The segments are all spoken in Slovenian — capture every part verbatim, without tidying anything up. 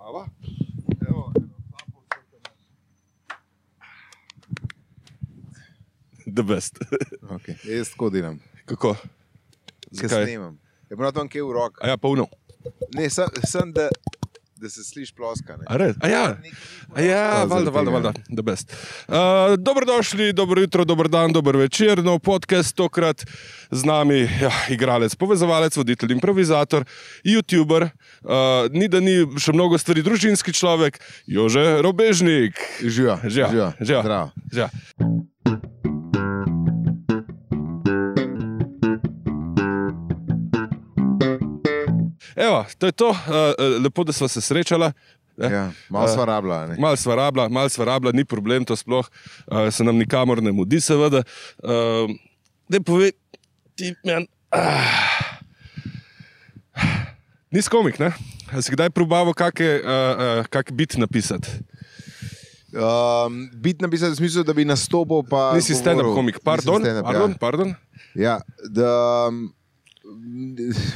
Mava? Evo, The best. Okay. Jaz tako delam. Kako? Kaj snemam? Je moral tam kje v rok? A ja, polno. Ne, sem, sem da, da se sliši ploska. Ne? A res? A ja, a ja, valjda, valjda, valjda. The best. Uh, dobrodošli, dobro jutro, dober dan, dober večer. No, podcast tokrat z nami, ja, igralec, povezovalec, voditelj, improvizator, youtuber, uh, ni da ni še mnogo stvari, družinski človek, Jože Robežnik. Živa, Živa, živa, živa. zdravo. Živa. Evo, to je to, uh, lepo, da sva se srečala. Ja, malo sva rabila. Ne? Mal sva rabila, mal sva rabila, ni problem to sploh, uh, se nam nikamor ne mudi, seveda. Uh, Daj povej, ti men... Ah, nisi komik, ne? A si kdaj probaval kake, uh, uh, kak bit napisati? Um, bit napisati v smislu, da bi nastopil pa... Nisi stand-up komik, pardon, stand-up, pardon, ja. pardon. Ja, da...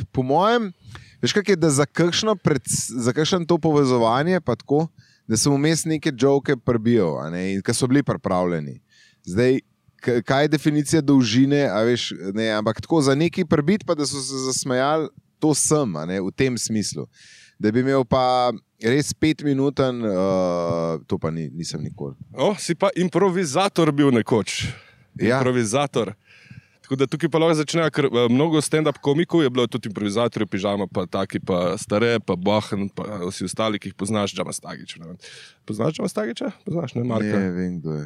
Po mojem... Veš, kak je, da za kakšno, pred, za kakšno to povezovanje, pa tako, da sem vmes neke joke prebijal, a ne, in ki so bili pripravljeni. Zdaj, kaj je definicija dolžine, a veš, ne, ampak tako za neki prebit, pa da so se zasmejali, to sem, a ne, v tem smislu. Da bi imel pa res pet minuten, uh, to pa ni, nisem nikoli. O, si pa improvizator bil nekoč. Ja. Improvizator. Tako da tukaj pa lahko začnejo, ker uh, mnogo stand-up komikov je bilo tudi improvizatorjev, pižama, pa taki, pa stare, pa Bohan, pa vsi ostali, ki jih poznaš, Džama Stagič. Ne? Poznaš Džama Stagiča? Poznaš, ne, Marka? Ne, vem, kdo je.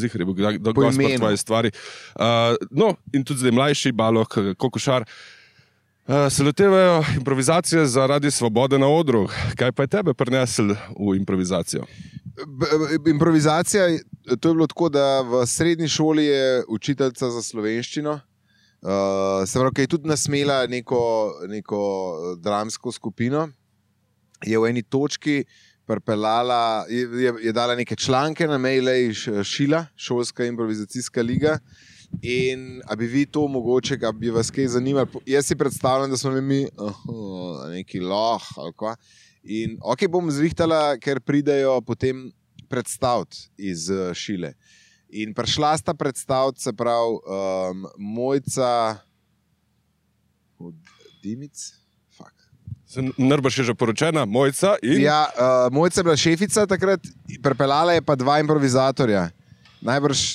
Zihar je bil, da, da gost pa tvoje stvari. Uh, no, in tudi zdaj mlajši, Balok, Kokošar, uh, se lotevajo improvizacije zaradi svobode na odru. Kaj pa je tebe prinesel v improvizacijo? Improvizacija, to je bilo tako, da v srednji šoli je učiteljica za slovenščino, uh, se pravi, ki je tudi nasmela neko, neko dramsko skupino, je v eni točki pripeljala, je, je, je dala neke članke na maile iz Šila, šolska improvizacijska liga, in a bi vi to mogoče, a bi vas kaj zanimali, jaz si predstavljam, da smo mi uh, neki loh ali kva. In ok, bom zrihtala, ker pridejo potem predstaviti iz uh, Šile. In prišla sta predstaviti, se pravi, um, Mojca Dimic? Nrbaš je že poročena, Mojca in... Ja, uh, Mojca je bila šefica takrat, pripeljala je pa dva improvizatorja. Najbrž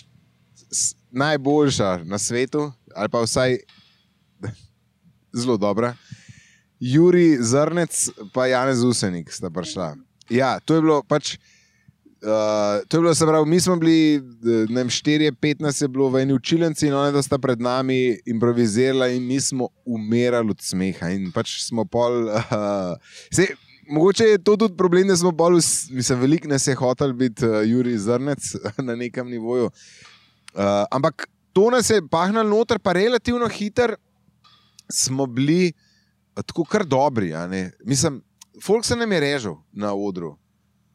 s, najboljša na svetu, ali pa vsaj zelo dobra. Juri Zrnec pa Janez Usenik sta prišla. Ja, to je bilo pač, uh, to je bilo, se pravi, mi smo bili, ne vem, štirje, petnajst je bilo v eni učilnici in oni da sta pred nami improvizirala in mi smo umirali od smeha in pač smo pol, uh, sej, mogoče je to tudi problem, da smo pol, mislim, veliko nas je hotel biti uh, Juri Zrnec na nekem nivoju, uh, ampak to nas je pahnalo noter, pa relativno hiter smo bili tako kar dobri, a ne. Mislim, folk se nam je režal na odru.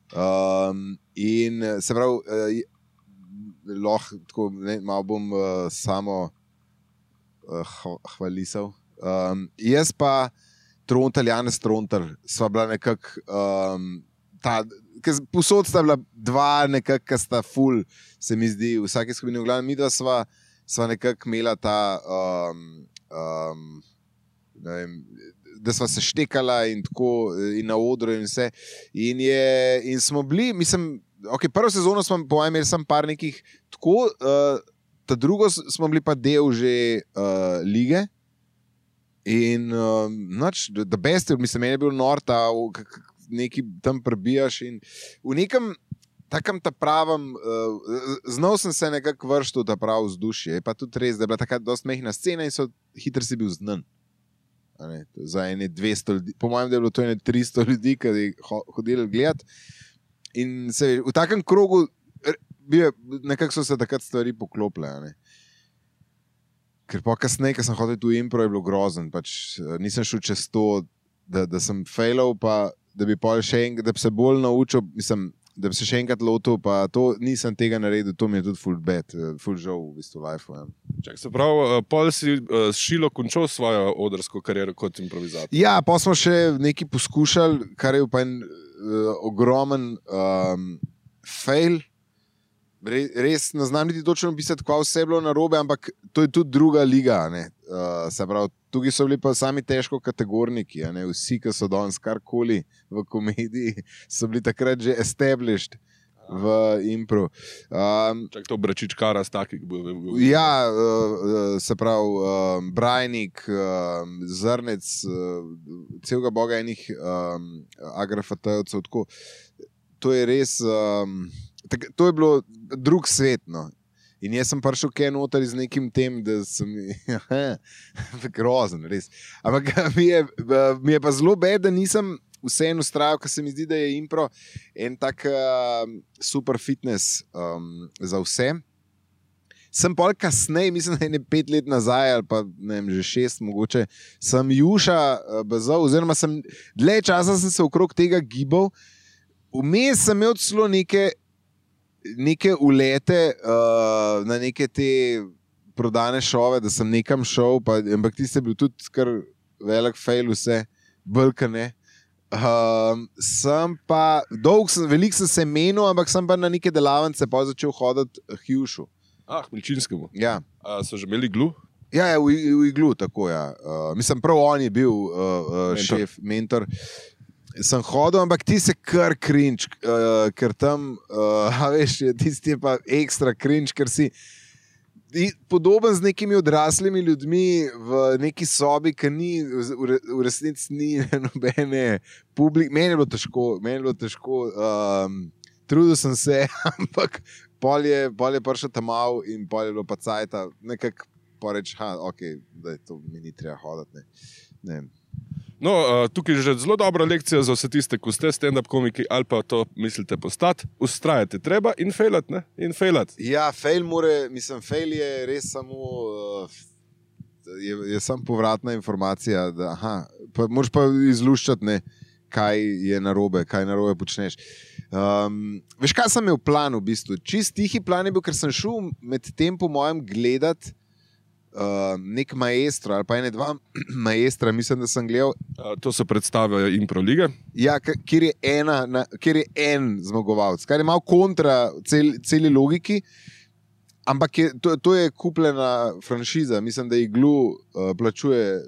Um, in se pravi, uh, lahko tako, ne, malo bom uh, samo uh, hvalisal. Um, jaz pa Trontelj, Janez Trontelj, sva bila nekako, um, ta, posod sta bila dva nekako, ki sta ful, se mi zdi, v vsaki skupini v glavnem, mi dva sva, sva nekako imela ta um, um, ne vem, da sva se štekala in tako in na odru in vse. In, je, in smo bili, mislim, ok, prvo sezono smo po mojem imeli sem par nekih tako, uh, ta drugo smo bili pa del že uh, lige in uh, noč, the best, mislim, meni je bil nor, ta neki tam prebijaš in v nekem takem ta pravem, uh, znal sem se nekako vršti v ta prav vzdušje, je pa tudi res, da je bila taka dost mehna scena in so hitro si bil znan. Ne, za ene dvesto ljudi, po mojem, da je bilo to ene tristo ljudi, ki je hodili gledati. In se, v takem krogu nekako so se takrat stvari poklopile. Ne. Ker pa kasneje, ko sem hodil tu impro, je bilo grozen. Pač, nisem šel čez to, da, da sem failal, pa da bi pol še en, da bi se bolj naučil. Mislim, da bi se še enkrat lotil, pa to nisem tega naredil, to mi je tudi full bad, full žal v bistvu life. Ja. Čak, se pravi, pol si uh, šilo končal svojo odrsko kariero kot improvizator. Ja, pa smo še nekaj poskušali, kar je pa en uh, ogromen um, fail. Re, res ne znam niti točno pisati, kva vse je bilo narobe, ampak to je tudi druga liga. Uh, se pravi, tukaj so bili pa sami težko kategorniki, a ne? Vsi, ki so danes karkoli v komediji, so bili takrat že established v impro. Um, Čak to Bračičkara s takih bo. Ja, uh, se pravi, um, Brajnik, um, Zrnec, uh, celega boga enih um, agrafatejovcev, tako. To je res... Um, Tak, to je bilo drug svet, no. In jaz sem prišel kaj noter z nekim tem, da sem grozen, res. Ampak mi je, mi je pa zelo bed, da nisem vseeno ustrajal, ker se mi zdi, da je impro en tak uh, super fitness um, za vse. Sem pol kasneje, mislim, da je ne pet let nazaj, ali pa ne vem, že šest mogoče, sem juša uh, bezal, oziroma sem dlje časa sem se okrog tega gibal. Vmes sem imel celo neke neke ulete uh, na neke te prodane šove, da sem nekam šel, pa, ampak tiste je bil tudi kar velik fail vse, brkane. Um, sem pa, dolg sem, veliko sem se menil, ampak sem pa na neke delavnice pa začel hoditi Hjušu. Ah, Milčinskemu. Ja. A so že imeli iglu? Ja, ja, v, v iglu, tako ja. Uh, mislim, prav on je bil uh, uh, mentor. šef, mentor. Sem hodil, ampak ti se kar cringe, uh, ker tam, uh, veš, tisti je pa ekstra cringe, ker si podoben z nekimi odraslimi ljudmi v neki sobi, ki ni, v, v resnici ni nobene publike. Meni je bilo težko, meni je bilo težko, um, trudil sem se, ampak pol je, pol je prišel tam mal in pol je bilo pa cajta, nekako poreč, ha, ok, da je to mi ni treba hoditi, ne, ne. No, uh, tukaj je že zelo dobra lekcija za vse tiste, ko ste stand-up komiki ali pa to mislite postati. Ustrajate treba in failat, ne? In failat. Ja, fail more, mislim, fail je res samo, uh, je, je samo povratna informacija, da aha, pa moraš pa izluščati, ne, kaj je narobe, kaj narobe počneš. Um, veš, kaj sem imel plan v bistvu? Čist tihi plan je bil, ker sem šel med tem po mojem gledat Uh, nek maestro ali pa ene dva maestra, mislim, da sem gledal. Uh, to se predstavljajo impro lige. Ja, kjer je, ena, na, kjer je en zmagovalec, kar je malo kontra cel, celi logiki, ampak je, to, to je kupljena franšiza. Mislim, da iglu uh, plačuje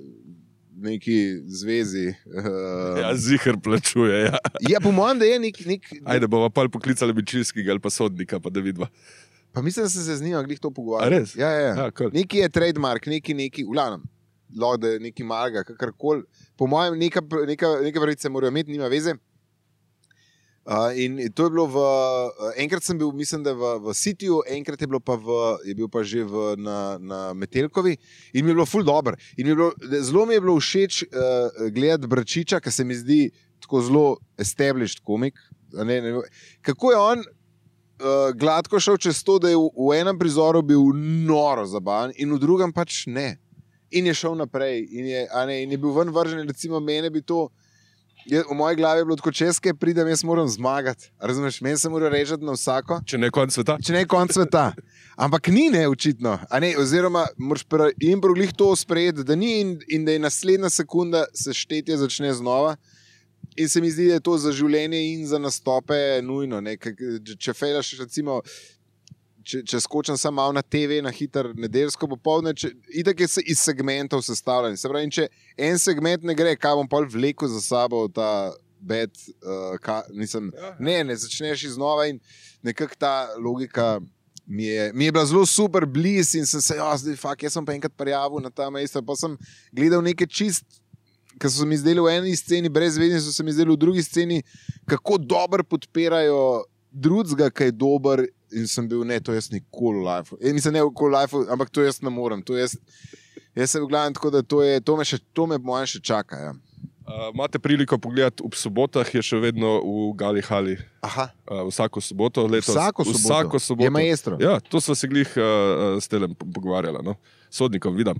neki zvezi. Uh, ja, ziher plačuje, ja. Ja, po mojem, da je nek... nek Ajde, bova pa poklicali Milčinskega ali pa sodnika, pa da vidva. Pa mislim, da sem se z njim glih to pogovarjal. A res? Ja, ja. Ja, cool. Neki je trademark, neki, neki, vlanem, lahko da je neki marga, kakorkoli. Po mojem, neka, neka, neka pravice morajo imeti, nima veze. Uh, in to je bilo v, uh, enkrat sem bil, mislim, da v, v Cityju, enkrat je bilo pa v, je bil pa že v, na, na Metelkovi in mi je bilo ful dobro. In mi je bilo, zelo mi je bilo všeč uh, gledati Bračiča, ker se mi zdi tako zelo established komik. Ne, ne, kako je on Uh, gladko šel čez to, da je v, v enem prizoru bil noro zabaven in v drugem pač ne. In je šel naprej in je, a ne, in je bil ven vržen, recimo mene bi to, je, v moji glavi je bilo tako, če jaz kaj pridem, jaz moram zmagati. Razumeš, meni se mora režati na vsako. Če ne konc sveta. Če ne konc sveta. Ampak ni ne, očitno. A ne, oziroma, moraš pri impro glih to sprejeti, da ni in, in da je naslednja sekunda se štetje začne znova. In se mi zdi, da je to za življenje in za nastope nujno. Ne? Če fejlaš, recimo, če, če skočam samo malo na te ve, na hiter nedeljsko popoldne, itak je se iz segmentov sestavljen. Se pravi, če en segment ne gre, kaj bom pol vlekel za sabo ta bed, uh, ka, nisem, ne, ne, začneš iznova in nekako ta logika mi je, mi je bila zelo super bliz in sem se, ja, zdaj, fak, jaz sem pa enkrat prijavil na ta mesta, pa sem gledal neke čist, ki so se mi zdeli v eni sceni, brez vedni so se mi zdeli v drugi sceni, kako dobro podpirajo drugega, ki je dober in sem bil, ne, to jaz nikoli v life. E, mislim, ne v life, ampak to jaz ne morem. To jaz, jaz se v glavnem tako, da to, je, to, me, še, to me mojem še čaka. Ja. Uh, imate priliko pogledati ob sobotah, je še vedno v Gali Hali. Aha. Uh, vsako soboto. Letos, vsako soboto? Vsako soboto. Je maestro? Ja, to smo se glih uh, s telem pogovarjala. No? Sodnikom, vidim.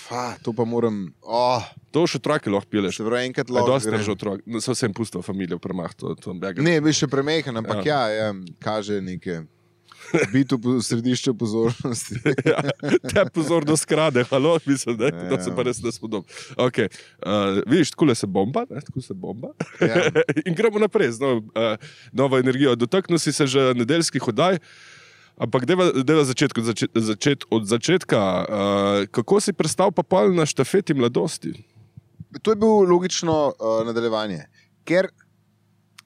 fa, to pa moram... Oh. To še otroke lahko pileš. Se pravi, enkrat lahko. lahko. Dosta že otrok. No, so vsem pustili familijo v premah. To, to ne, bi še premehen, ampak ja, ja, ja kaže neke... Biti v središču pozornosti. ja, te pozornost krade, halo, mislim, da ja, se pa res ne spodom. Okay. Uh, vidiš, tako se bomba, ne? Tako se bomba. Ja. In gremo naprej z novo, uh, novo energijo. Dotaknil si se že nedeljskih oddaj, ampak deva, deva začet, začet, začet od začetka. Uh, kako si prestal pa pol na štafeti mladosti? To je bilo logično uh, nadaljevanje, ker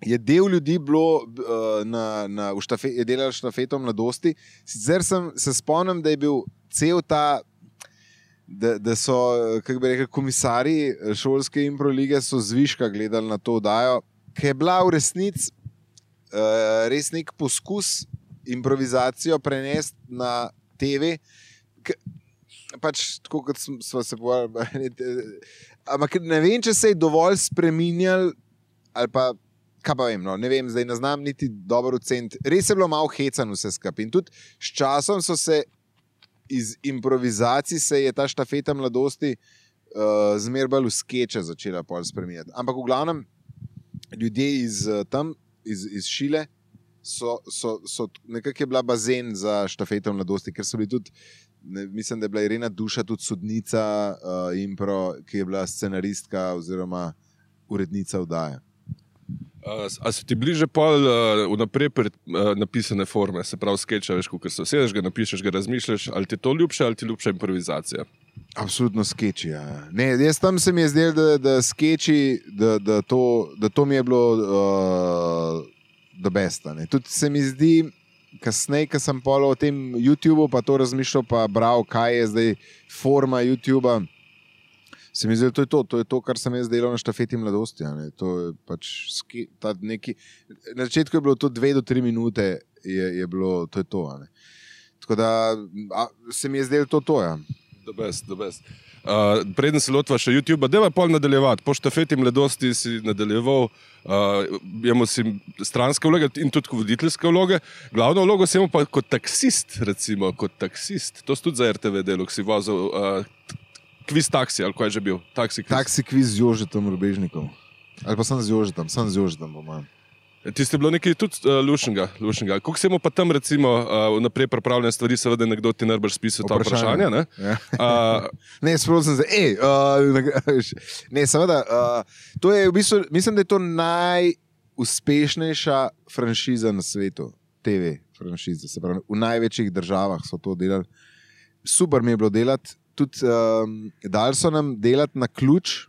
je del ljudi bilo uh, na, na, v štafe, je delal štafeto mladosti. Sicer sem se spomnim, da je bil cel ta, da, da so, kako bi rekel, komisarji šolske impro lige so zviška gledali na to oddajo, ki je bila v resnici uh, res nek poskus improvizacijo prenesti na te ve. K, pač tako, kot smo se pogovarjali. Ampak ne vem, če se je dovolj spreminjal ali pa kaj pa vem, no, ne vem, zdaj ne znam niti dobro oceniti. Res je bilo malo hecan vse skupaj. In tudi s časom so se iz improvizacij se je ta štafeta mladosti uh, zmer bolj v skeče začela pol spreminjati. Ampak v glavnem ljudje iz tam, iz, iz Šile, so, so, so nekako je bila bazen za štafeto mladosti, ker so bili tudi, ne, mislim, da je bila Irena Duša tudi sodnica uh, impro, ki je bila scenaristka oziroma urednica oddaje. Uh, a so ti bliže pol uh, vnaprej pred, uh, napisane forme, se pravi skeča, veš, ko se sedeš, ga napišeš, ga razmišljaš, ali ti je to ljubše, ali ti je ljubša improvizacija? Absolutno skeči, ja. Ne, jaz tam se mi je zdel, da, da skeči, da, da, to, da to mi je bilo uh, the best. Ne. Tudi se mi zdi, kasneje, ko sem pol o tem YouTubeu pa to razmišljal, pa bral, kaj je zdaj forma YouTubea, se mi zdi, da to je to, to je to, kar sem jaz delal na štafeti mladosti. Ne. To je pač ski, ta neki, na začetku je bilo to dve do tri minute, je, je bilo, to je to. Ne. Tako da a, se mi je zdelo to to, ja. The best, the best. Uh, preden se lotva še YouTubea, deva pol nadaljevati. Po štafeti mladosti si nadaljeval, uh, imamo si stranske vloge in tudi voditeljske vloge. Glavno vlogo si imel pa kot taksist, recimo, kot taksist. To si tudi za R T V delo, ki si vozil uh, kviz taksi, ali kaj je že bil? Taksi kviz. Taksi kviz z Jožetom Rubežnikom. Ali pa sem z Jožetom, sem z Jožetom, po mojem. Ti ste bilo nekaj tudi uh, lušnega, lušnega. Kako si imel pa tam, recimo, uh, naprej pripravljene stvari, seveda nekdo ti najbrž spisal ta vprašanja, ne? Ja. Uh, ne, spravo sem se, ej, uh, ne, seveda, uh, to je v bistvu, mislim, da je to najuspešnejša franšiza na svetu, T V franšiza, se pravi, v največjih državah so to delali. Super mi je bilo delati, tudi um, dali so nam delati na ključ,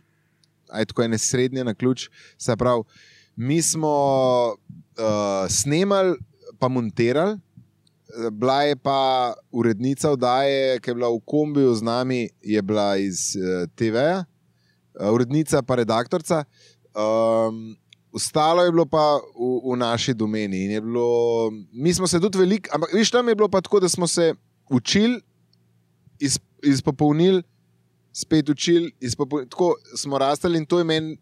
aj tako ene srednje na ključ, se pravi, mi smo uh, snemali, pa monterali, bila je pa urednica oddaje, ki je bila v kombiju z nami, je bila iz uh, T V-ja, uh, urednica pa redaktorca. Um, ostalo je bilo pa v, v naši domeni. In je bilo, mi smo se tudi veliko, ampak viš, tam je bilo pa tako, da smo se učili, iz, izpopolnili, spet učili, izpopolnili, tako smo rastali in to je meni.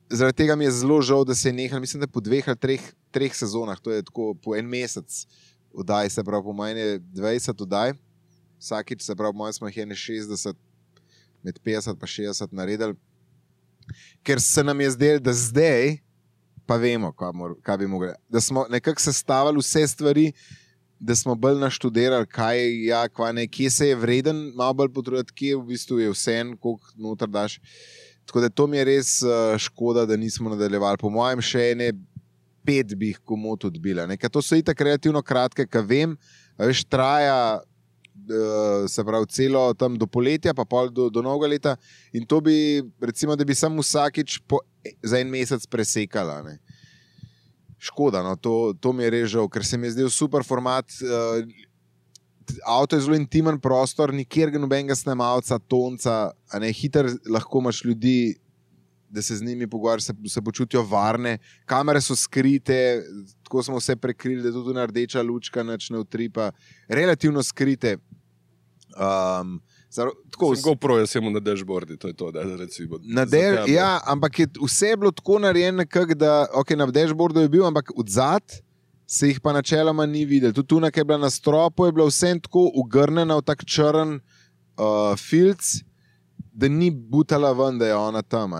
Zaradi tega mi je zelo žal, da se je nehal, mislim, da po dveh ali treh, treh sezonah, to je tako po en mesec oddaj, se pravi po mojem je dvajset oddaj, vsakič, se pravi po mojem smo jih ene šestdeset, med petdeset pa šestdeset naredili, ker se nam je zdelo, da zdaj pa vemo, kaj, mor, kaj bi mogli, da smo nekako sestavili vse stvari, da smo bolj naštudirali, kaj ja, kva ne, kje se je vreden, malo bolj potruditi, kje v bistvu je vse en, koliko noter daš. Tako da to mi je res uh, škoda, da nismo nadaljevali. Po mojem še ene pet bi jih komot odbila. Ker to so itak kreativno kratke, ka vem, veš, traja uh, se pravi celo tam do poletja, pa pol do, do novega leta in to bi, recimo, da bi sam vsakič po, za en mesec presekala. Ne. Škoda, no, to, to mi je res žal, ker se mi je zdel super format. Uh, Avto je zelo intimen prostor, nikjer ga nobenega snemalca, tonca, a ne, hiter lahko imaš ljudi, da se z njimi pogovarjaš, se, se počutijo varne, kamere so skrite, tako smo vse prekrili, da je tudi rdeča lučka, nič ne utripa, relativno skrite. Um, zar, tako, sem GoPro, jaz sem na dashboardi, to je to, da recimo. Na der, ja, ampak je, vse je bilo tako narejeno nekako, da, ok, na dashboardu je bil, ampak odzad se jih pa načeloma ni videl. Tudi tuna, ki je bila na stropu, je bila vsem tako ugrnjena v tak črn uh, filc da ni butala ven, da je ona tam.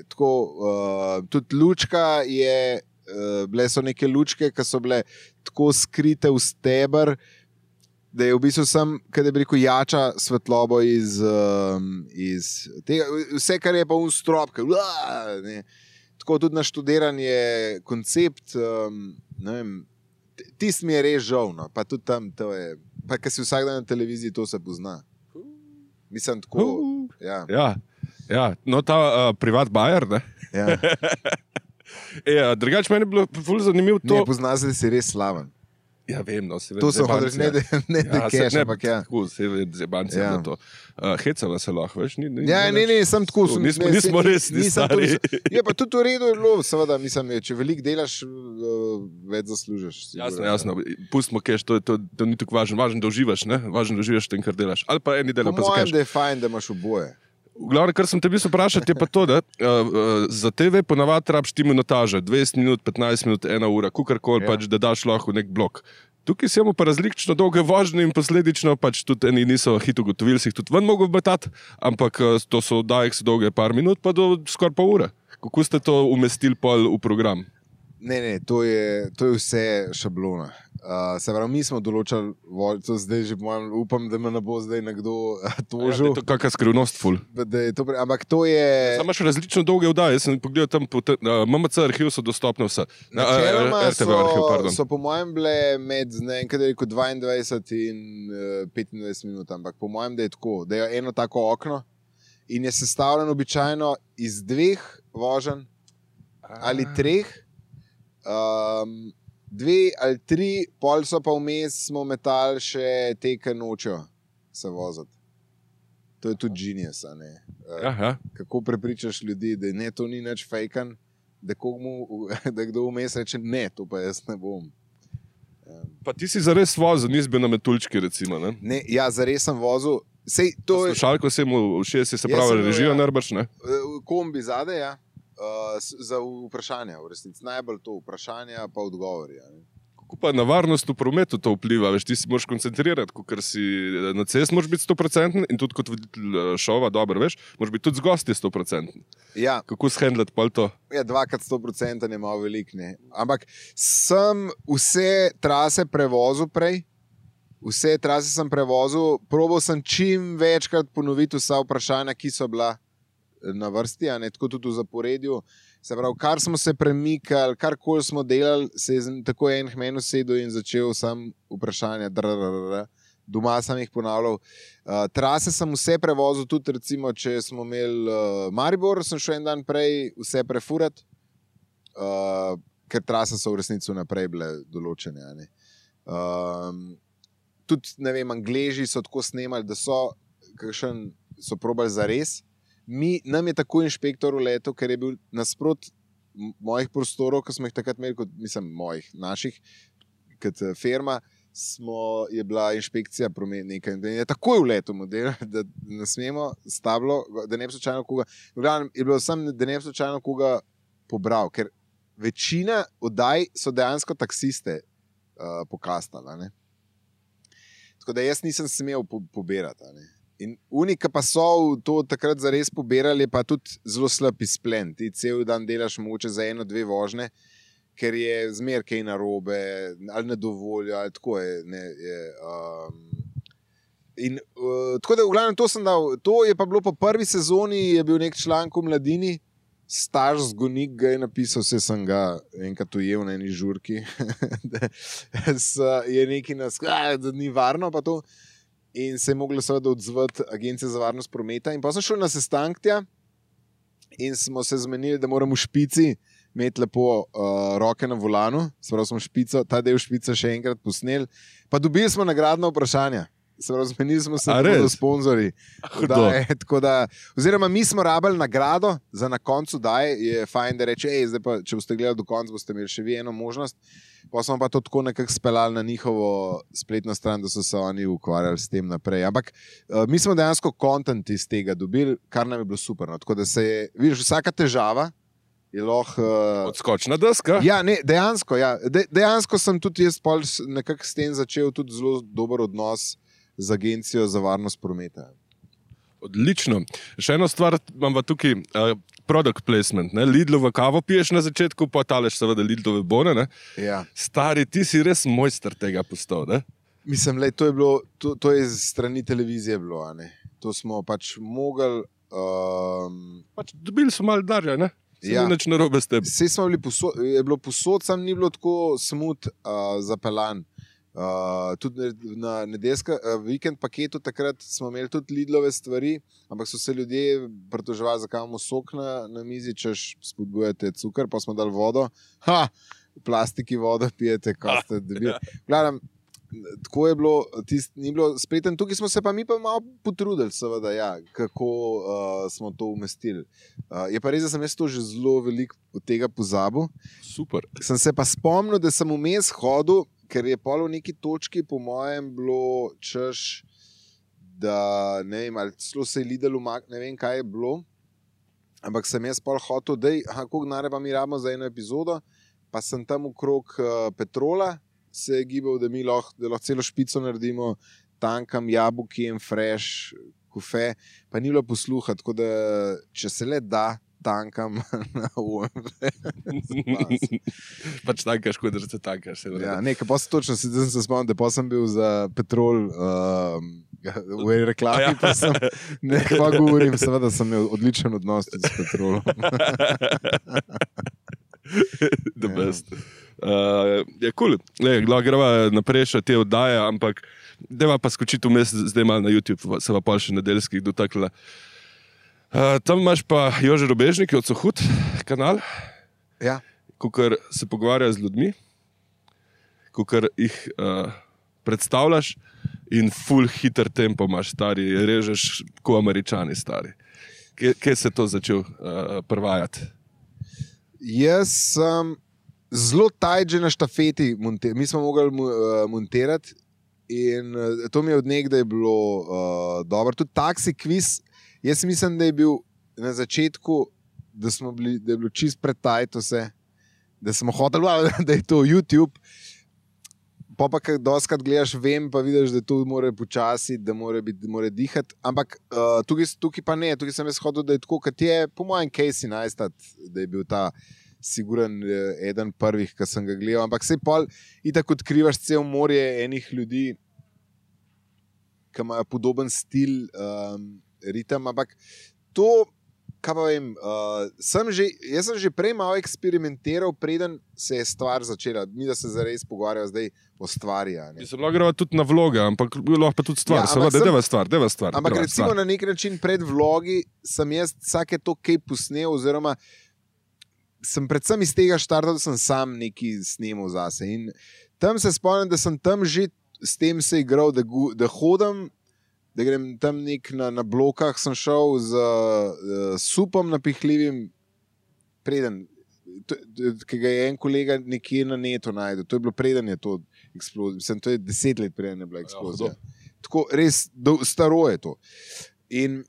Tako, uh, tudi lučka je, uh, bile so neke lučke, ki so bile tako skrite v steber, da je v bistvu sem, kada bi rekel, jača svetlobo iz, um, iz tega, vse, kar je pa un strop, kaj, uaa, ne. Tako tudi naštudiran je koncept, um, ne vem, tist mi je res žal, no, pa tudi tam, to je, pa kad si vsak dan na televiziji, to se pozna. Mislim, tako, Uh, ja. Ja, ja. No, ta uh, privat bajer, ne? Ja. E, a drugače, meni je bilo ful zanimivo to. Ne, pozna se, da si res slaven. Ja, vem, no, se vem. To so hodili, ne, da ne, da keš, ampak ja. Tako, se vem, zebanci Ja. na to. Uh, hecava se lahko, veš? Ni, ni, Ja, ne, ne, sem tako. To, sem- nismo- ne, nismo se- res ni nisem stari. tudi- Je pa tudi v redu, je bilo, seveda, mislim, je, če veliko delaš, uh, več zaslužiš. Jasno, jasno. Pustimo keš, to, to, to ni tako važno. Važno, da uživaš, ne? Važno, da uživaš v tem, kar delaš. Ali pa eni Po delajo pa za mojem, keš. da je fajn, da imaš oboje. V glavnem, kar sem te mislil vprašati, je pa to, da uh, uh, za te ve ponavadi rabiš ti minutaže, dvajset minut, petnajst minut, ena ura, kukarkoli, Ja. ja. pač, da daš lahko nek blok. Tukaj si imamo pa različno dolge vožnje in posledično pač tudi eni niso hit ugotovili, si jih tudi ven mogo betati, ampak uh, to so oddaje, ki so dolge par minut, pa do skoraj pol ure. Kako ste to umestili pol v program? Ne, ne, to je, to je vse šablona. Uh, se pravi, mi smo določali, vol- to zdaj že mojem, upam, da me ne bo zdaj nekdo uh, Ja, tožil. to je kakšna skrivnost, ful. Da je to, pre- ampak to je. Sam imaš različno dolge oddaje, jaz sem pogledal tam, po te, uh, M M C arhiv so dostopne vse. Na, uh, Načeloma R T V arhiv, so, pardon. so po mojem bile med ne vem, kaj da je rekel, dvaindvajset in uh, petindvajset minut, ampak po mojem, da je tako, da je eno tako okno in je sestavljeno običajno iz dveh voženj ali treh, um, dve ali tri, pol so pa vmes smo metali še te, ki nočejo se voziti. To je tudi genius, a ne? Uh, Ja, ja. kako prepričaš ljudi, da ne, to ni nič fejkan, da, komu, da kdo vmes reče, ne, to pa jaz ne bom. Pa ti si zares vozil, nisi bil na metulčki, recimo, ne? Ne, ja, zares sem vozil. Sej, to je Slušalko se mu všeč, se Jaz sem pravi, bil, režijo ja. najbrž, ne? uh, kombi zadaj, ja, uh, s- za vprašanja, v resnici. Najbolj to vprašanja, pa odgovori. Ja, ne. Kako pa na varnost v prometu to vpliva? Veš, ti si moraš koncentrirati, ker si na cest moraš biti sto procentov in tudi kot voditelj eh, šova, dobro, veš, moraš biti tudi z gosti sto procentov. Ja, Kako shendlati pol to? ja, dvakrat sto procentov je malo velik, ne. Ampak sem vse trase prevozil prej, vse trase sem prevozil, probal sem čim večkrat ponoviti vsa vprašanja, ki so bila na vrsti, a ne tako tudi v zaporedju. Se pravi, kar smo se premikali, karkoli smo delali, se je z- tako en k meni sedel in začel sam vprašanja. drrrr. Doma sem jih ponavljal. Uh, trase sem vse prevozil, tudi recimo, če smo imeli uh, Maribor, sem šel en dan prej vse prefurati, uh, ker trase so v resnici naprej bile določene. a ne. Um, tudi, ne vem, Angleži so tako snemali, da so, kakšen, so probali za res. Mi, nam je tako inšpektor uletel, ker je bil nasprot m- mojih prostorov, ki smo jih takrat imeli, kot, mislim, mojih, naših, kot eh, firma, smo, je bila inšpekcija prometnika in da je takoj uletel model, da ne smemo stablo, da ne bi slučajno koga, v glavnem je bilo sam, da ne bi slučajno koga pobral, ker večina oddaj so dejansko taksiste uh, pokastala, ne. Tako da jaz nisem smel po, pobirati, a ne. In unika pa so v to takrat zares pobirali, je pa tudi zelo slab izplen. Ti cel dan delaš mogoče za eno, dve vožnje, ker je zmer kaj narobe, ali ne dovoljo, ali tako je. Ne, je um, in uh, tako da v glavnem to sem dal. To je pa bilo po prvi sezoni, je bil nek članek v Mladini, Star zgonik ga je napisal, vse sem ga enkrat ujel na eni žurki, da s- je neki nas, "A, da ni varno pa to. In se je mogla seveda odzvati Agencija za varnost prometa. In pa sem šel na sestank tja in smo se zmenili, da moramo v špici imeti lepo uh, roke na volanu. Se pravi, smo špico, ta del špice še enkrat posneli. Pa dobili smo nagradna vprašanja. Se pravi, zmenili smo se A tako res? do sponzorji. Hudo. Da, je, tako da, oziroma, mi smo rabili nagrado za na koncu, da je fajn, da reče, ej, zdaj pa, če boste gledali do konca, boste imeli še vi eno možnost. Pa smo pa to tako nekako speljali na njihovo spletno stran, da so se oni ukvarjali s tem naprej. Ampak uh, mi smo dejansko kontent iz tega dobili, kar nam je bilo super. No. Tako da se je, vidiš, vsaka težava je lahko. Uh, Odskočna deska? Ja, ne, dejansko, ja. De, dejansko sem tudi jaz pol s- nekako s tem začel tudi zelo dober odnos z Agencijo za varnost prometa. Odlično. Še eno stvar imam pa tukaj, uh, product placement, ne? Lidlovo kavo piješ na začetku, pa taleš seveda Lidlove bone, ne? Ja. Stari, ti si res mojster tega postal, ne? Mislim, lej, to je bilo, to, to je z strani televizije bilo, a ne. To smo pač mogli... Um... Pač dobili smo malo darja, ne? Se Ja. ni nič narobe s tem. Vse smo bili posod, je bilo posod, sam ni bilo tako smut uh, zapeljan. Uh, tudi na nedeljska, uh, vikend paketu takrat smo imeli tudi Lidlove stvari, ampak so se ljudje pritoževali, zakaj imamo sok na, na mizi, češ spodbujate cukor, pa smo dali vodo. Ha! V plastiki vodo pijete, ko ste dobili. Gledam, tako je bilo, tist, ni bilo spreten. Tukaj smo se pa mi pa malo potrudili, seveda, ja, kako uh, smo to umestili. Uh, je pa res, da sem jaz to že zelo veliko od tega pozabil. Super. Sem se pa spomnil, da sem vmes hodil, ker je pol v neki točki, po mojem, bilo češ, da ne vem, ali celo se je Lidl umak, ne vem, kaj je bilo, ampak sem jaz pol hotel, da je, koliko denarja pa mi rabimo za eno epizodo, pa sem tam okrog uh, Petrola se je gibal, da mi lahko, da lahko celo špico naredimo, tankam jabolki in fresh, kofe, pa ni bilo posluha, tako da če se le da, tankam na U M V. Pač tankaš, kot da se tankaš. Ja, nekaj, pa se točno se, se spomnim, da pa sem bil za Petrol um, v reklami, ja. pa sem, ne, pa govorim, seveda sem imel odličen odnos tudi s Petrolom. The best. Uh, je kul, cool. Greva naprej še te oddaje, ampak deva pa skočiti vmes zdaj malo na YouTube, se pa pol še nedeljskih dotakla. Uh, tam imaš pa Jože Robežnik, od Sohut kanal, Ja. kukor se pogovarja z ljudmi, kukor jih uh, predstavljaš in full hiter tempo imaš, stari, režeš ko Američani, stari. Kje, kje se to začel uh, prvajati? Jaz sem zelo tajt že na štafeti, monte, mi smo mogli uh, montirati in uh, to mi je od nekdaj bilo uh, dobro. Tudi taksi kviz, jaz mislim, da je bil na začetku, da, smo bili, da je bilo čist pretajt vse, da smo hoteli, da je to YouTube. Pa pa, kaj doskrat gledaš, vem, pa vidiš, da to mora počasi, da mora, biti, mora dihati. Ampak uh, tukaj, tukaj pa ne, tukaj sem jaz hodil, da je tako, kot je, po mojem, Casey Neistat, da je bil ta siguren eden prvih, ki sem ga gledal. Ampak se pol, itak odkrivaš cel morje enih ljudi, ki imajo podoben stil, um, ritem, ampak to, kaj pa vem, uh, sem že, jaz sem že prej malo eksperimentiral, preden se je stvar začela. Mi, da se zares pogovarjajo zdaj o stvari. Mislim, lahko greva tudi na vloge, ampak lahko pa tudi stvar. Ja, Seveda, sem, deva stvar, deva stvar. Ampak deva recimo stvar. na nek način pred vlogi sem jaz vsake to kaj posnel, oziroma sem predvsem iz tega štartal, da sem sam nekaj snemal zase. In tam se spomnim, da sem tam že s tem se igral, da, da hodim, da grem tam nek na, na blokah, sem šel z uh, supom napihljivim, preden, ki ga je en kolega nekje na netu najdel. To je bilo preden je to eksplozija. Mislim, to je deset let preden je bila eksplozija. Ja, tako, res, do, staro je to. In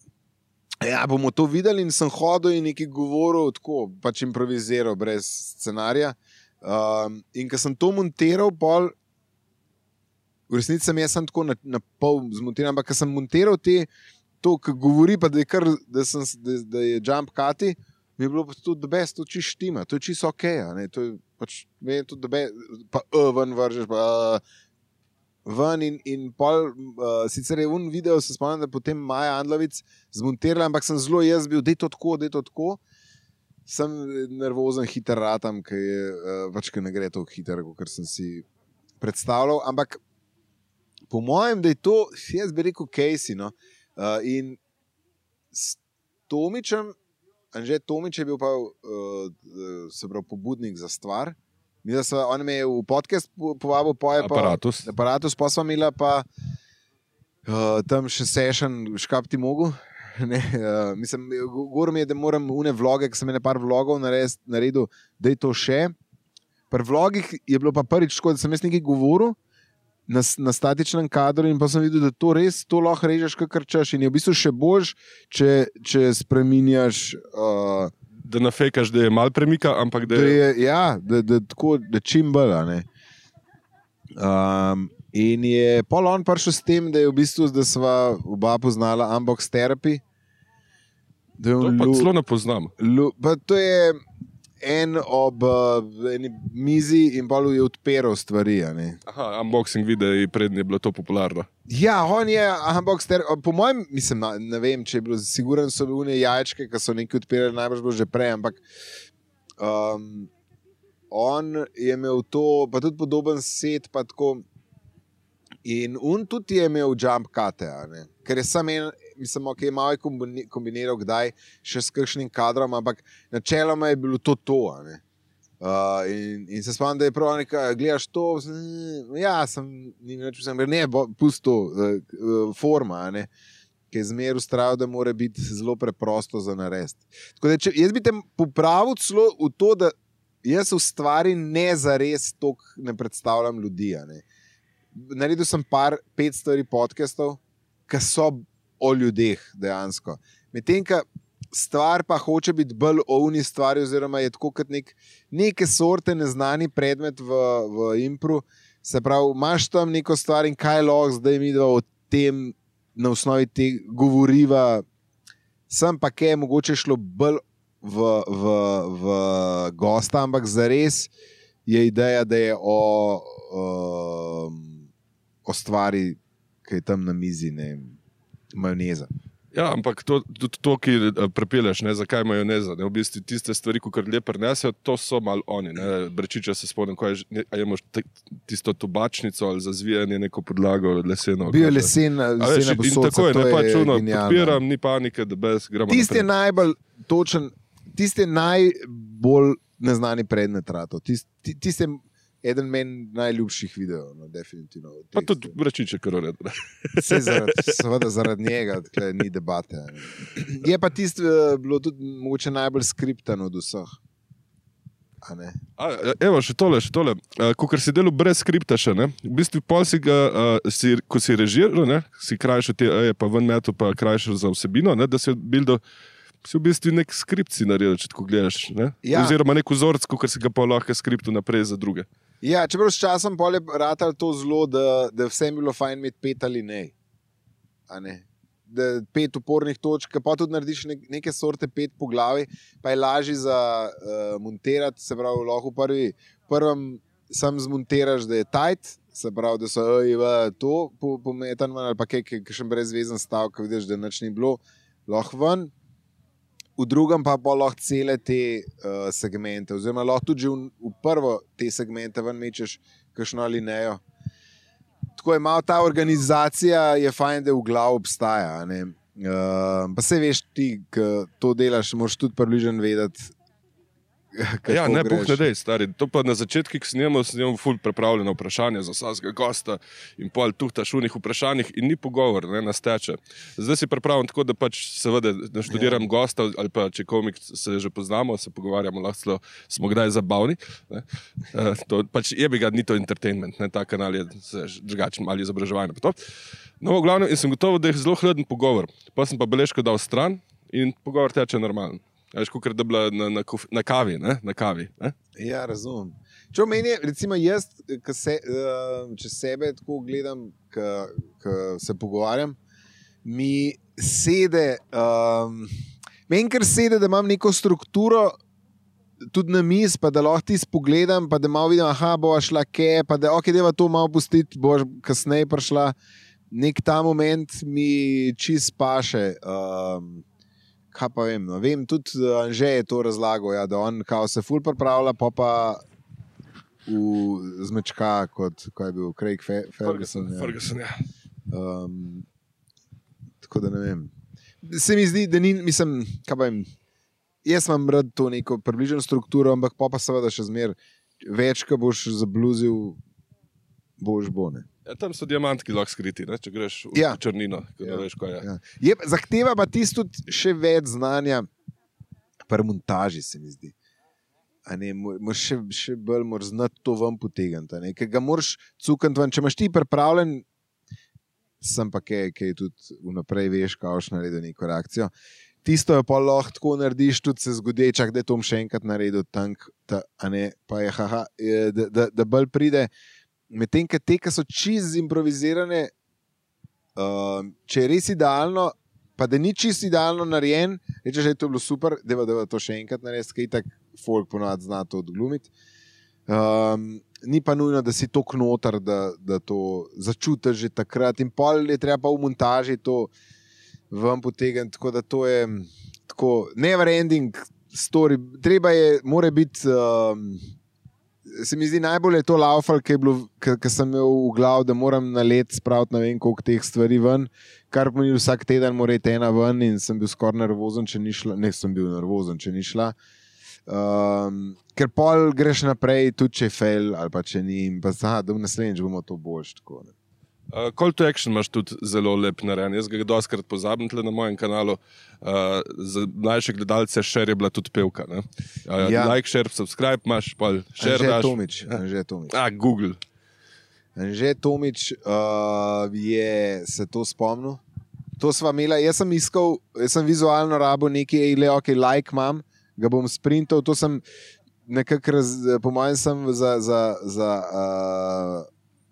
ja, bomo to videli in sem hodil in nekaj govoril, tako, pač improviziral, brez scenarija. Um, in ko sem to montiral, pol, v resnici sem jaz sem tako na, na pol zmontiral, ampak ko sem montiral te, to, ki govori, pa da je, kar, da sem, da, da je jump cutty, mi je bilo pa tudi the best, to čist štima, to je čist ok, ne, to je pač, meni je tudi the best, pa uh, ven vržeš, pa uh, ven in, in pol, uh, sicer je un video, se spomnim, da potem Maja Andlovic zmontirala, ampak sem zelo jaz bil, dej to tako, dej to tako, sem nervozen, hiter ratam, ker je, uh, pač, ker ne gre to hiter, kot sem si predstavljal, ampak po mojem, da je to, jaz bi rekel, Casey, no, uh, in s Tomičem, Anže Tomič je bil pa, uh, se pravi, pobudnik za stvar. Mi, da sva, on me je v podcast povabil, pa je pa Aparatus. Aparatus, pa sva imela pa uh, tam še session škap ti mogu. Ne, uh, mislim, govorim je, da moram une vloge, ki sem ene par vlogov naredil, da je to še. Pri vlogih je bilo pa prvič tako, da sem jaz nekaj govoril, Na, na statičnem kadru in pa sem videl, da to res to lahko režeš, kakor češ. In je v bistvu še boljš, če, če spreminjaš. Uh, da nafekaš, da je mal premika, ampak da je. Da je ja, da, da, tako, da čim bolj. Um, In je pol on prišel s tem, da je v bistvu, da sva oba poznala Unbox Therapy. Da je To on pa lu- celo ne poznam. lu- pa to je en ob uh, eni mizi in pol je odpiral stvari. A ne. Aha, unboxing videi, prednje je bilo to popularno. Ja, on je Unbox Therapy. Po mojem, mislim, na- ne vem, če je bilo, siguren so bile jajčke, ki so nekaj odpirali, najbrž bilo že prej, ampak um, on je imel to, pa tudi podoben set, pa tako. In on tudi je imel jump cute, a ne. Ker je sam en, mislim, ok, malo je kombini- kombiniral kdaj še s kakšnim kadrom, ampak načeloma je bilo to to, a ne. Uh, in, in se spomnim, da je prav nekaj, gledaš to, mm, ja, sem, ni več, sem, ne, bo, pusto, uh, uh, forma, a ne, ki je zmer ustrajal, da mora biti zelo preprosto za narediti. Tako da, če, jaz bi te popravil celo v to, da jaz v stvari ne zares toliko ne predstavljam ljudi, a ne. Naredil sem par, pet stvari podcastov, ki so o ljudeh dejansko. Medtem, ko stvar pa hoče biti bolj o uni stvari, oziroma je tako kot nek, neke sorte neznani predmet v, v impru, se pravi, imaš tam neko stvar in kaj lahko zdaj mi dva o tem na osnovi te govoriva, sem pa kaj je mogoče šlo bolj v, v, v gosta, ampak zares je ideja, da je o, um, o stvari, ki je tam na mizi, ne, majoneza. Ja, ampak to, tudi to, ki eh, prepeleš, ne, zakaj majoneza. Ne, v bistvu tiste stvari, ko kar lepo prenesejo, to so malo oni. Ne. Brečiča se spomnim, ko je, že- ne, a imaš te- tisto tobačnico ali za zvijanje neko podlago leseno. Bil je kaj že. lesen, A veš, lesena in posodca, tako je, to ne, pač je uno, genialno. podpiram, ni panike, da brez gremo Tisti je naprej. najbolj točen, tisti je najbolj neznani predmet rato. Tisti tist je eden meni najljubših videov, no, definitivno. od Pa teh tudi stvari. brečiče, kar ured. Saj zaradi, seveda zaradi njega, tukaj ni debate. a ne. Je pa tisto uh, bilo tudi mogoče najbolj skriptano od vseh. A ne? A, evo, še tole, še tole. Ko si delal brez skripta še, ne? V bistvu pol si ga, uh, si, ko si režiral, ne? Si krajšal te eje, pa ven metu, pa krajšal za vsebino, ne? Da si buildal, si v bistvu nek skript si naredil, če tako gledaš, ne? Ja. Oziroma nek vzorc, ko si ga pa lahko skriptu naprej za druge. Ja, čeprav s časom pol je ratal to zelo, da, da vsem bilo fajn imeti pet ali ne. A ne? Da pet upornih točk, pa tudi narediš ne, neke sorte pet po glavi, pa je lažje za uh, montirati, se pravi, lahko v prvi, prvem sam zmontiraš, da je tight, se pravi, da so oj, v, to pometan ven, ali pa kaj, kakšen brezvezen stavek, vidiš, da nič ni bilo, lahko ven. V drugem pa pa lahko cele te uh, segmente, oziroma lahko tudi že v, v prvo te segmente ven mečeš kakšno alinejo. Tako je malo ta organizacija, je fajn, da v glavu obstaja. a ne. Uh, pa se veš ti, ki to delaš, moraš tudi približno vedeti, kako Ja, ne, puh greš. ne dej, stari. To pa na začetku, ko snemamo, snemamo ful pripravljeno vprašanje za vsakega gosta in pol tuhtaš v njih vprašanjih in ni pogovor, ne, nasteče. Zdaj si pripravljen tako, da pač seveda naštudiram ja. gosta ali pa če komik se že poznamo, se pogovarjamo, lahko celo smo kdaj zabavni. Ne. Uh, to pač je bi ga, ni to entertainment, ne, ta kanal je drugačen, ali izobraževanje. Pa to. No, v glavnem, in sem gotovo, da je zelo hleden pogovor. Pa sem pa beležko dal stran in pogovor teče normalno. Veš, kot da je bila na, na, kof, na kavi. Ne? Na kavi ne? Ja, razumem. Če meni, recimo jaz, ko se, uh, če sebe tako gledam, ko se pogovarjam, mi sede, um, meni kar sede, da imam neko strukturo tudi na mis, pa da lahko ti spogledam, pa da malo vidim, aha, bova šla kje, pa da ok, deva to malo pustiti, boš kasneje prišla. Nek ta moment mi čist paše. Um, Kaj pa vem, no, vem tudi Anže je to razlagal, ja, da on kao se ful pripravlja, pa pa v zmečka, kot ko je bil Craig Fe Ferguson. Ja. Ferguson, ja. Um, tako da ne vem. Se mi zdi, da ni, mislim, kaj pa vem, jaz imam rad to neko približno strukturo, ampak pa pa seveda še zmer več, ko boš zabluzil, boš bo, ne. Ja, tam so diamantki lahko skriti, ne? Če greš v Ja. črnino, ko Ja. ne veš, kaj je. Ja. Je, zahteva pa tisto tudi še več znanja pri montaži, se mi zdi. A ne, moraš še, še bolj moraš znati to ven potegniti. a ne, Ker ga moraš cukati ven. Če imaš ti pripravljen, sem pa kaj, kaj tudi vnaprej veš, kako boš naredil neko reakcijo. Tisto je pa lahko tako narediš, tudi se zgodi, čak, da je to še enkrat naredil tank, ta, a ne, pa je haha, je, da, da, da bolj pride. medtem ko te, ki so čisto improvizirane, uh, če je res idealno, pa da ni čisto idealno narejen, reče, že je to bilo super, da je to še enkrat narediti, kaj tak folk ponovadi zna to odglumiti. Um, ni pa nujno, da si to knotar, da, da to začutiš že takrat in pol je treba pa v montaži to ven potegniti, tako da to je tako never ending story. Treba je, mora biti, um, se mi zdi najbolj je to laufal, ki sem imel v glav, da moram na let spraviti ne vem koliko teh stvari ven, kar pomeni vsak teden mora iti ena ven in sem bil skoraj nervozen, če ni šla, ne sem bil nervozen, če ni šla. Um, ker pol greš naprej, tudi če je fail ali pa če ni, in pa aha, da v naslednjič bomo to boljš. Tako, ne. Uh, call to action imaš tudi zelo lep narejen. Jaz ga doskrat pozabim tle na mojem kanalu. Uh, za mlajše gledalce share je bila tudi pevka. Ne? Uh, ja. Like, share, subscribe imaš, pa share Anže daš. Tomič, Anže Tomič. A, Google. Anže Tomič uh, je se to spomnil. To sva imela, jaz sem iskal, jaz sem vizualno rabo nekaj, le ok, like imam, ga bom sprintal, to sem nekako, po mojem sem za, za, za, uh,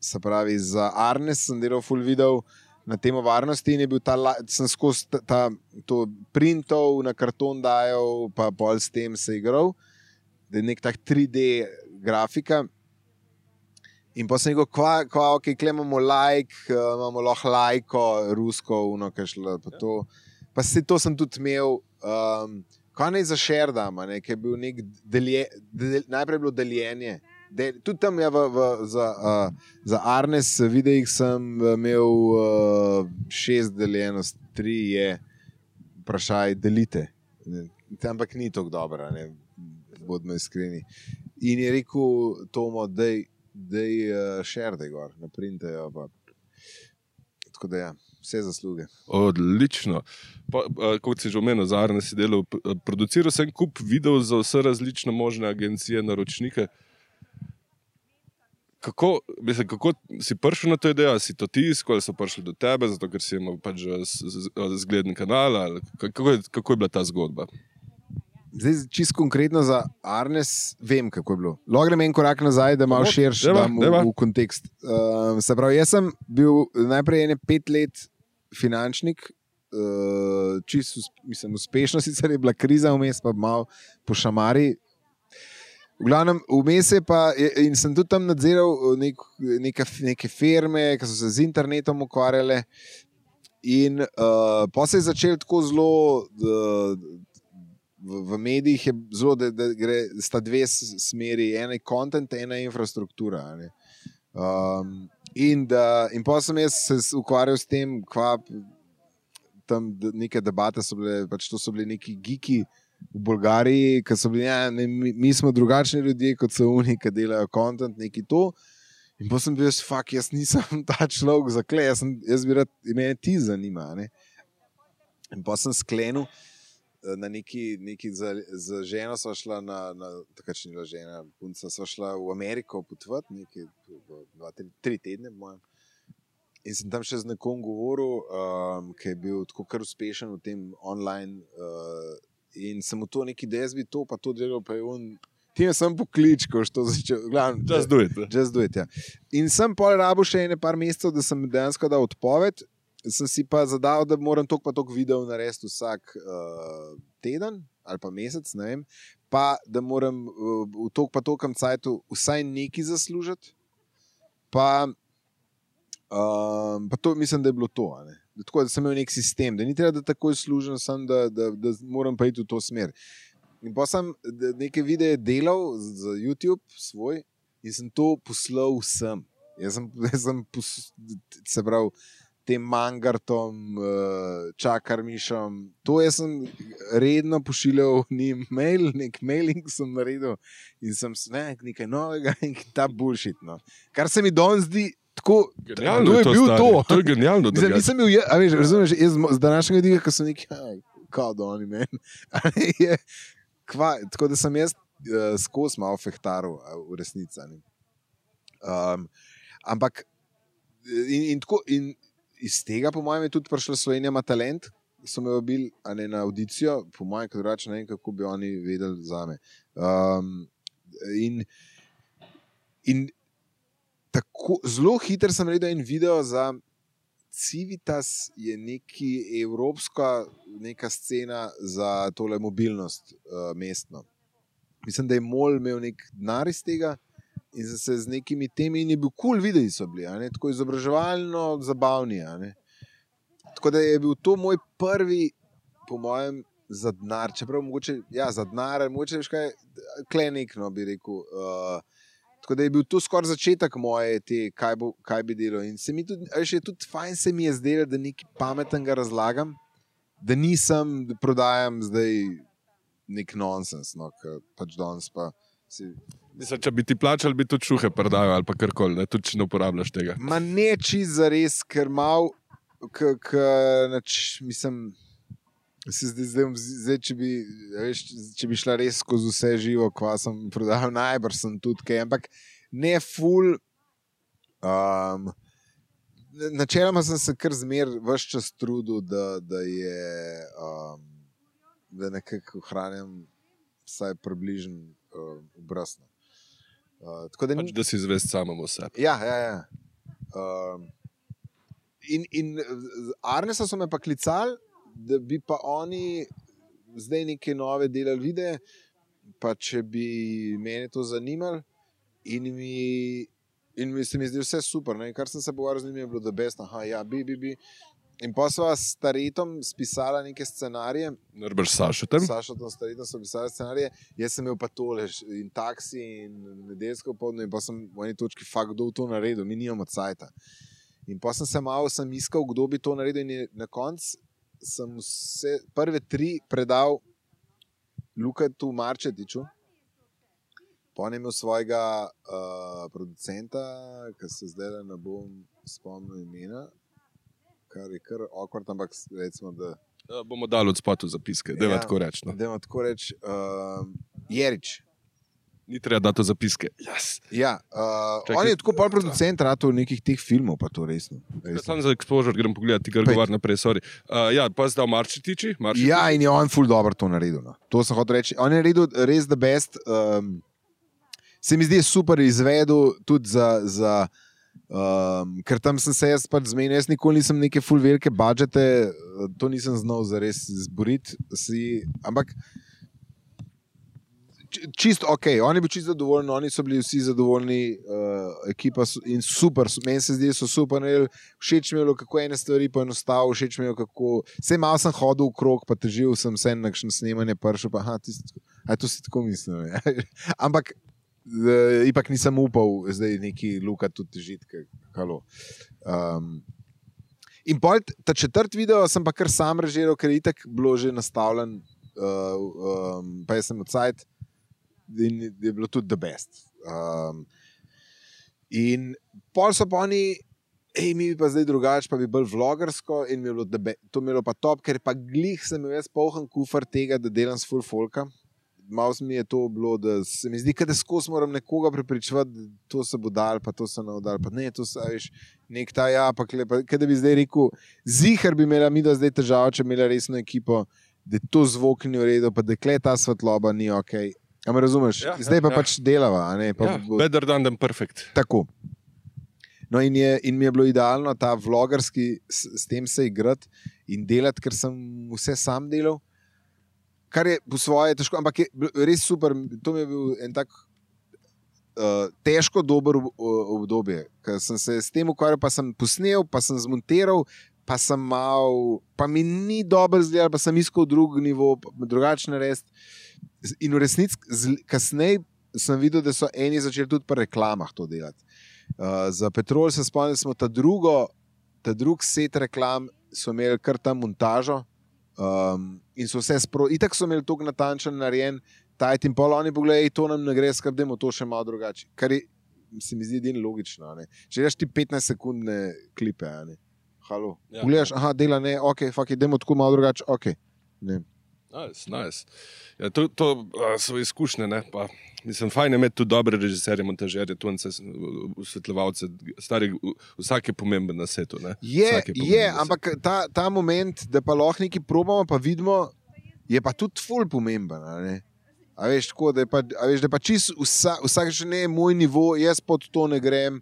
se pravi, za Arnes sem delal full video na temo varnosti in je bil ta, sem skozi ta, ta, to printov na karton dajal, pa pol s tem se igral, da je nek tak tri D grafika. In pa sem rekel, kva, kva, ok, kle imamo like, uh, imamo lahko lajko, rusko, uno, kaj šlo, pa to. Pa se to sem tudi imel, um, kaj naj za share dam, ne, ki je bil nek delje, del, najprej je bilo deljenje. Del, tudi tam je v, v, za, uh, za Arnes videih sem imel uh, šest deljenost, tri je vprašaj, delite. Ne, ampak ni tako dobro, ne, bodimo iskreni. In je rekel Tomo, dej, da je uh, share, da je gor, naprintajo. Pa. Tako da ja, vse zasluge. Odlično. Pa, uh, kot si že omenil, za Arne si delal, produciral sem kup videov za vse različne možne agencije, naročnike. Kako, mislim, kako si prišel na to idejo? Si to tiskal, ali so prišli do tebe, zato ker si imel pač zgleden kanal? Ali, kako, je, kako je bila ta zgodba? Zdaj, čisto konkretno za Arnes, vem, kako je bilo. Lahko grem en korak nazaj, da malo širš dam v, v kontekst. Uh, se pravi, jaz sem bil najprej ene pet let finančnik, uh, čisto, mislim, uspešno, sicer je bila kriza vmes, pa malo po šamari. V glavnem, vmes je pa, in sem tudi tam nadziral nek, neka, neke firme, ki so se z internetom ukvarjale, in uh, pa se je začel tako zelo, uh, v, v medijih je zelo, da, da gre, sta dve smeri, ena je content, ena je infrastruktura. Ne? Um, in, da, in pa sem jaz se ukvarjal s tem, kva tam neke debate so bile, pač to so bili neki geeki, v Bolgariji, ki so bili, ja, ne, mi, mi smo drugačni ljudje, kot so oni, ki delajo content, neki to. In pa sem bil, fuck, jaz nisem ta človek za kle, jaz, sem, jaz bi rad, mene ti zanima. Ne? In pa sem sklenil, na neki, neki za, za ženo sva šla na, na takrat še ni bila žena, punca sva šla v Ameriko potovati, neki dva, tri, tri tedne, mojem. In sem tam še z nekom govoril, um, ki je bil tako kar uspešen v tem online uh, in sem mu to neki, da jaz bi to, pa to delal, pa je on, ti me sem poklič, ko što začel, glavno, just do it. Just do it, ja. In sem pol rabil še ene par mesecev, da sem dejansko dal odpoved, sem si pa zadal, da moram toliko pa toliko videov narediti vsak uh, teden ali pa mesec, ne vem, pa da moram uh, v toliko pa tolikem cajtu vsaj nekaj zaslužiti, pa, um, pa to mislim, da je bilo to, ne. Tako da sem imel nek sistem, da ni treba, da takoj služim, sem, da, da, da moram pa iti v to smer. In pa sem neke videe delal za YouTube svoj in sem to poslal vsem. Jaz sem, jaz sem pos, se pravi, tem mangartom, čakarmišom, to jaz sem redno pošiljal njim mail, nek mailing sem naredil in sem ne, nekaj novega in ta bullshit. No. Kar se mi danes zdi, tako, genialno to je, je to, bil stari. to. To je genialno. Zdaj, nisem bil, a veš, razumeš, jaz z današnjega vidika, ko so neki, kao da oni meni, je, kva, tako da sem jaz uh, skozi malo fehtaril v resnici. Um, ampak in, in, tako, in iz tega, po mojem, je tudi prišla Slovenija ima talent, so me vabili na audicijo, po mojem, kot drugače ne vem, kako bi oni vedeli zame. Um, in in tako ko, zelo hitro sem naredil en video za Civitas, je neki evropska neka scena za tole mobilnost uh, mestno. Mislim, da je MOL imel nek denar iz tega in sem se z nekimi temi in je bil kul cool videi so bili, a ne? Tako izobraževalno zabavni. A ne? Tako da je bil to moj prvi, po mojem, za denar, čeprav mogoče, ja, za denar, mogoče veš kaj, klenik, no, bi rekel. Uh, tako da je bil to skoraj začetek moje, te, kaj, bo, kaj bi delal. In se mi tudi, veš, je tudi fajn se mi je zdelo, da nekaj pametnega razlagam, da nisem, da prodajam zdaj nek nonsens, no, ker pač danes pa si... Mislim, če bi ti plačali, bi tudi šuhe prodajal ali pa karkoli, ne, tudi če ne uporabljaš tega. Ma ne čist zares, ker mal, k, k, nač, mislim, se zdaj, zdaj, zdaj če, bi, veš, če bi šla res skozi vse živo, kva sem prodajal, najbrž sem tudi kaj, ampak ne ful. Um, načeloma sem se kar zmer ves čas trudil, da, da je, um, da nekako ohranjam vsaj približen uh, obraz. Uh, tako da, pač, da si zvest samemu sebi. Ja, ja, ja. Uh, in, in Arnesa so me pa klicali, da bi pa oni zdaj neke nove delali videe, pa če bi mene to zanimali in mi, in mi se mi zdi vse super. Ne? Kar sem se pogovarjal z njimi, je bilo the best. Aha, ja, bi, bi, bi. In pa sva s Taretom spisala neke scenarije. Najbrž Sašotem. Sašotem, s Taretom so pisali scenarije. Jaz sem imel pa tole in taksi in nedeljsko popoldne in pa sem v eni točki fakt, kdo to naredil. Mi nimamo cajta. In pa sem se malo sem iskal, kdo bi to naredil in je, na koncu sem vse prve tri predal Lukatu Marčetiču. Pa on je imel svojega uh, producenta, ki se zdaj ne bom spomnil imena, kar je kar awkward, ampak recimo, da... da bomo dali od spotu zapiske, dajmo ja, tako reči. No. Dajmo tako reči. Uh, Jerič. Ni treba dati to zapiske. Yes. Ja, uh, on je tako pol producent ratov nekih teh filmov, pa to resno. resno. Sam za exposure grem pogledati, kar govar naprej, sorry. Uh, ja, pa zdaj Marčetiči. Marčetiči. Ja, in je on ful dobro to naredil. No. To sem hotel reči. On je naredil res the best. Um, se mi zdi super izvedel tudi za... za um, ker tam sem se jaz pač zmenil, jaz nikoli nisem neke ful velike budžete, to nisem znal zares zboriti si, ampak čisto ok, on je bil čisto zadovoljen, oni so bili vsi zadovoljni, uh, ekipa so, in super, meni se zdi, so super, ne, všeč mi je bilo, kako ene stvari poenostavil, všeč mi je bilo, kako, vse malo sem hodil v krog, pa težil sem se na kakšno snemanje pršel, pa aha, ti si tako, aj to si tako mislil, ja. Ampak uh, ipak nisem upal zdaj neki Luka tudi težiti, halo. Um, in pol, ta četrt video sem pa kar sam režiral, ker je itak bilo že nastavljen, uh, um, pa jaz sem odsajt, in je bilo tudi the best. Um, in pol so pa oni, ej, mi bi pa zdaj drugače, pa bi bolj vlogersko in mi je bilo to mi je bilo pa top, ker pa glih sem imel jaz polhen kufr tega, da delam s full folka. Malo mi je to bilo, da se mi zdi, da skozi moram nekoga prepričevati, da to se bo dal, pa to se ne bo dal, pa ne, to se, veš, nek ta ja, pa klepa, kaj da bi zdaj rekel, zihar bi imela mi da zdaj težavo, če imela resno ekipo, da je to zvok ni v redu, pa da kle ta svetloba ni okej. Okay. A me razumeš? Ja, zdaj pa ja. Pač delava. A ne? Pa ja, bo... better done than perfect. Tako. No in, je, in mi je bilo idealno ta vlogerski s, s tem se igrati in delati, ker sem vse sam delal, kar je po svoje težko, ampak je res super. To mi je bil en tak uh, težko dober obdobje, ker sem se s tem ukvarjal, pa sem posnel, pa sem zmontiral, pa sem mal, pa mi ni dobro izgledal, pa sem iskal drug nivo, drugačne res. In v resnici, kasneje sem videl, da so eni začeli tudi pri reklamah to delati. Uh, za Petrol se spomnim, smo ta, drugo, ta drug set reklam so imeli kar tam montažo um, in so vse spro... Itak so imeli toliko natančen narejen, tajt in pol oni pogledaj, to nam ne gre, skrb, dajmo to še malo drugače. Kar je, se mi zdi edino logično. Ne? Če gledaš ti petnajst sekundne klipe, ne? Halo. Ja, pogledaš, aha, dela ne, ok, fuck it, dajmo tako malo drugače, ok. Ne. Nice, nice. Ja, to to uh, so izkušnje, ne? Pa, mislim, fajn je imeti tudi dobre režiserje, montažerje, tunce, osvetljevalce, stari, vsak je pomemben na svetu. Ne? Je, je, je ampak ta, ta moment, da pa lahko nekaj probamo, pa vidimo, je pa tudi ful pomemben. Ne? A veš, tako, da je pa, a veš, da je pa čist vsa, vsak še ne moj nivo, jaz pod to ne grem,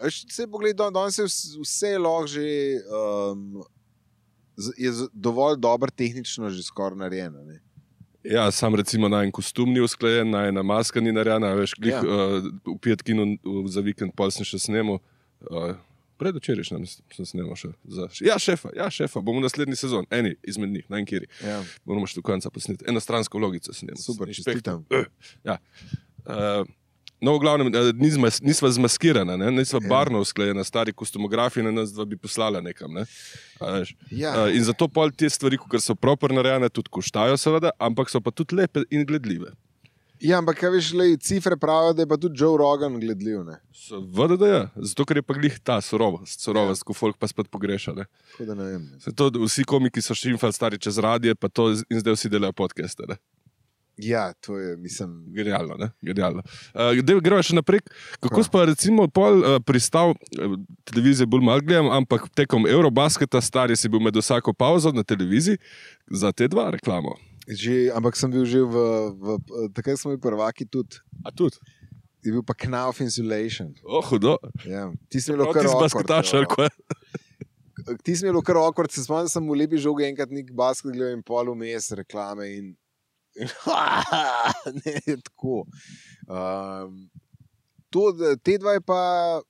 Vse pogled, danes je vse, vse lahko že um, je dovolj dobro tehnično že skoraj narejeno. Ne? Ja, sam recimo na en kostum ni usklajen, na ena maska ni narejena, veš, glih ja. uh, v Pietkinu za vikend pol sem še snemal. Uh, Predvčerajšnjem sem snemal še. Za, ja, šefa, ja, šefa, bomo naslednji sezon, eni izmed njih, na enkiri. Ja. Moramo še do konca posneti. Enostransko vlogico snemal. Super, čestitam. Uh, ja. Uh, no, v glavnem, nisva, nisva zmaskirana, ne? Nisva ja. barno usklajena, stari kostumografi na nas dva bi poslala nekam. Ne? Ja. Uh, in zato pol te stvari, ker so proper narejene, tudi koštajo seveda, ampak so pa tudi lepe in gledljive. Ja, ampak kaj veš, le, cifre pravijo, da je pa tudi Joe Rogan gledljiv. Ne? Seveda, da je. Zato, ker je pa glih ta surovost, surovost, ja. ko folk pa spet pogreša. Ne? Da ne vem, ne. To, vsi komiki so šimfali stari čez radije, pa to in zdaj vsi delajo podcaste. Ne? Ja, to je, mislim... Genialno, ne? Genialno. Uh, gremo še naprej. Kako si pa recimo pol uh, pristal, uh, televizije bolj malo gledam, ampak tekom Eurobasketa stari si bil med vsako pauzo na televiziji za te dva reklamo. Že, ampak sem bil že v, v, v takrat smo bili prvaki tudi. A tudi? Je bil pa Knauf Insulation. Oh, hudo. Ja, ti si imel kar awkward. Ti si imel kar awkward, se spomnim, sem v lepi žogi enkrat nek basket gledal in pol vmes reklame in, in ne, tako. Um, to, te dva je pa,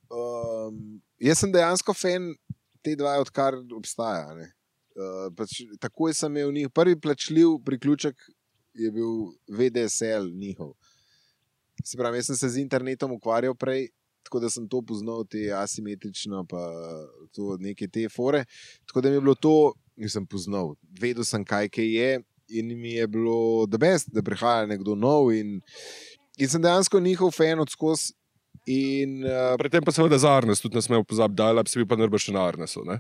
um, jaz sem dejansko fan te dva, odkar obstaja, ne. Uh, pač, takoj sem imel njih. Prvi plačljiv priključek je bil V D S L njihov. Se pravi, jaz sem se z internetom ukvarjal prej, tako da sem to poznal, te asimetrično, pa to neke te fore. Tako da mi je bilo to, nisem poznal. Vedel sem, kaj kaj je in mi je bilo the best, da prihaja nekdo nov in, in sem dejansko njihov fan od skozi. In, uh, Predtem pa seveda za Arnes, tudi ne smemo pozabiti, da bi pa najbrž še na Arnesu, ne?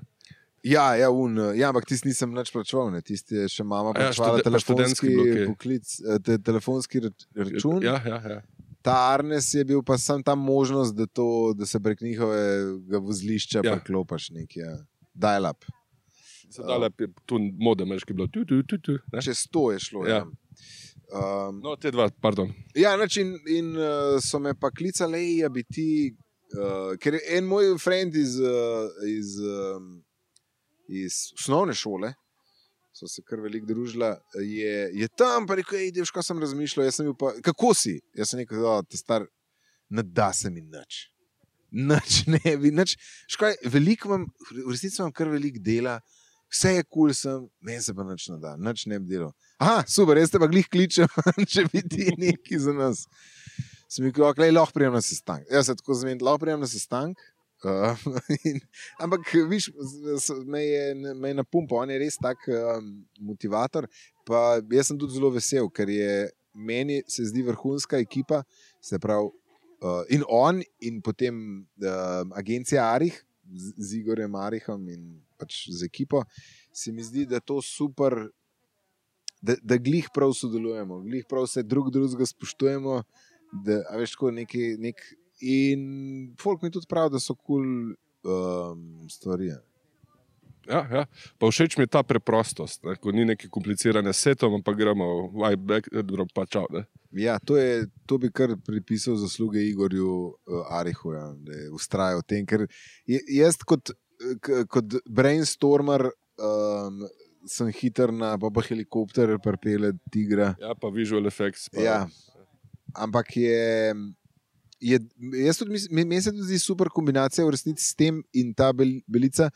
Ja, ja, un, ja, ampak tisti nisem nič plačeval, ne. Tisti je še mama plačevala ja, telefonski, poklic, te, telefonski račun. Ja, ja, ja. Ta Arnes je bil pa sam ta možnost, da, to, da se prek njihovega vozlišča ja. preklopaš nek ja. dial-up. Dial-up je tu modem, ki je bilo tu, tu, tu, tu. Čez to je šlo, ja. ja. Um, no, te dva, pardon. Ja, nač in, in uh, so me pa klicali, ja bi ti, uh, ker en moj friend iz, uh, iz um, iz osnovne šole, so se kar veliko družila, je, je tam, pa rekel, ej, veš, kaj sem razmišljal, jaz sem bil pa, kako si? Jaz sem rekel, da te star, ne da se mi nič. Nič ne bi, nič. Škaj, veliko imam, v resnici imam kar veliko dela, vse je kul sem, meni se pa nič ne da, nič ne bi delal. Aha, super, jaz te pa glih kličem, če bi ti neki za nas. Sem rekel, ok, lej, lahko prijem na sestank. Jaz se tako zmenim, lahko prijem na sestank. Uh, in, ampak, viš, me je, me je napumpal, on je res tak um, motivator, pa jaz sem tudi zelo vesel, ker je meni se zdi vrhunska ekipa, se pravi, uh, in on, in potem uh, agencija Arih, z, z Igorjem Arihom in pač z ekipo, se mi zdi, da to super, da, da glih prav sodelujemo, glih prav se drug drugega spoštujemo, da, a veš, tako neki, nek in folk mi tudi pravi, da so kul cool, um, stvari. Ja, ja. Pa všeč mi je ta preprostost, ne? Ko ni neki komplicirane setom, pa gremo why back, pa čau. Ne? Ja, to, je, to bi kar pripisal zasluge Igorju uh, Arihu, ja, da je ustrajal v tem, ker je, jaz kot, k, kot brainstormer um, sem hiter na pa, pa helikopter pripelje tigra. Ja, pa visual effects. Pa... Ja, ampak je... Je, jaz tudi mislim, meni se tudi zdi super kombinacija v resnici s tem in ta bel, belica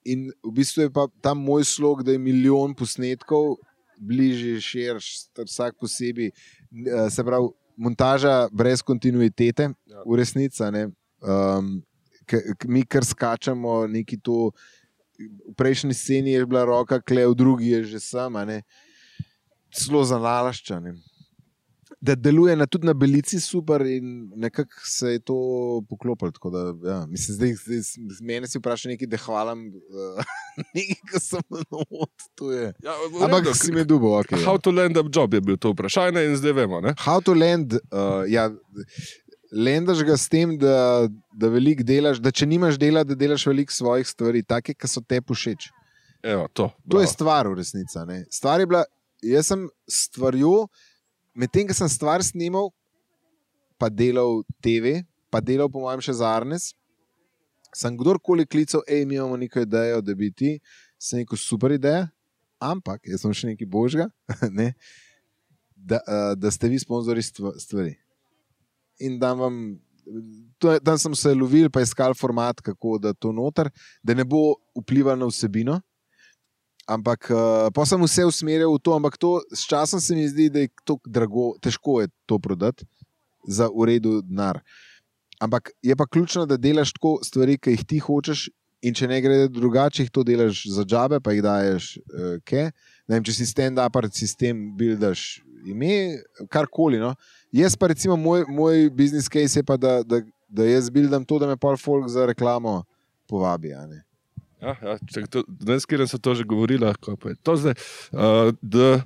in v bistvu je pa ta moj slog, da je milijon posnetkov bližje, širš, vsak posebej, se pravi montaža brez kontinuitete ja. v resnici, ne, um, k, k, mi kar skačamo neki to, v prejšnji sceni je bila roka kle, v drugi je že sama, ne, zelo zanalašča, ne. Da deluje na, tudi na belici super in nekako se je to poklopilo. Tako da, ja, mislim, zdaj, zdaj mene si vprašal nekaj, da hvalam uh, nekaj, ko sem not, to je. Ja, ampak si me dubo, ok. How ja. to land up job je bil to vprašanje in zdaj vemo, ne? How to land, uh, ja, landaš ga s tem, da, da veliko delaš, da če nimaš dela, da delaš veliko svojih stvari, take, ki so te všeč. Evo, to. Bravo. To je stvar v resnici, ne. Stvar je bila, jaz sem stvarjo, medtem, ko sem stvar snimal, pa delal T V, pa delal po mojem še za Arnes, Sem kdorkoli klical, hej, mi imamo neko idejo, da bi ti, sem neko super ideja, ampak jaz sem še nekaj božga, ne, da, uh, da ste vi sponzori stvari. In da vam, to, tam sem se lovil, pa iskal format, kako da to noter, da ne bo vplival na vsebino, ampak uh, pa sem vse usmeril v to, ampak to s časom se mi zdi, da je to drago, težko je to prodati za uredu denar. Ampak je pa ključno, da delaš tako stvari, ki jih ti hočeš in če ne gre drugače, jih to delaš za džabe, pa jih daješ uh, ke. Ne vem, če si stand-up sistem buildaš ime, karkoli. No? Jaz pa recimo, moj, moj business case je pa, da, da, da jaz buildam to, da me pol folk za reklamo povabi, a ne. Ja, ja, čak, to, danes, kjer so to že govorili, kako je to zdaj, uh, da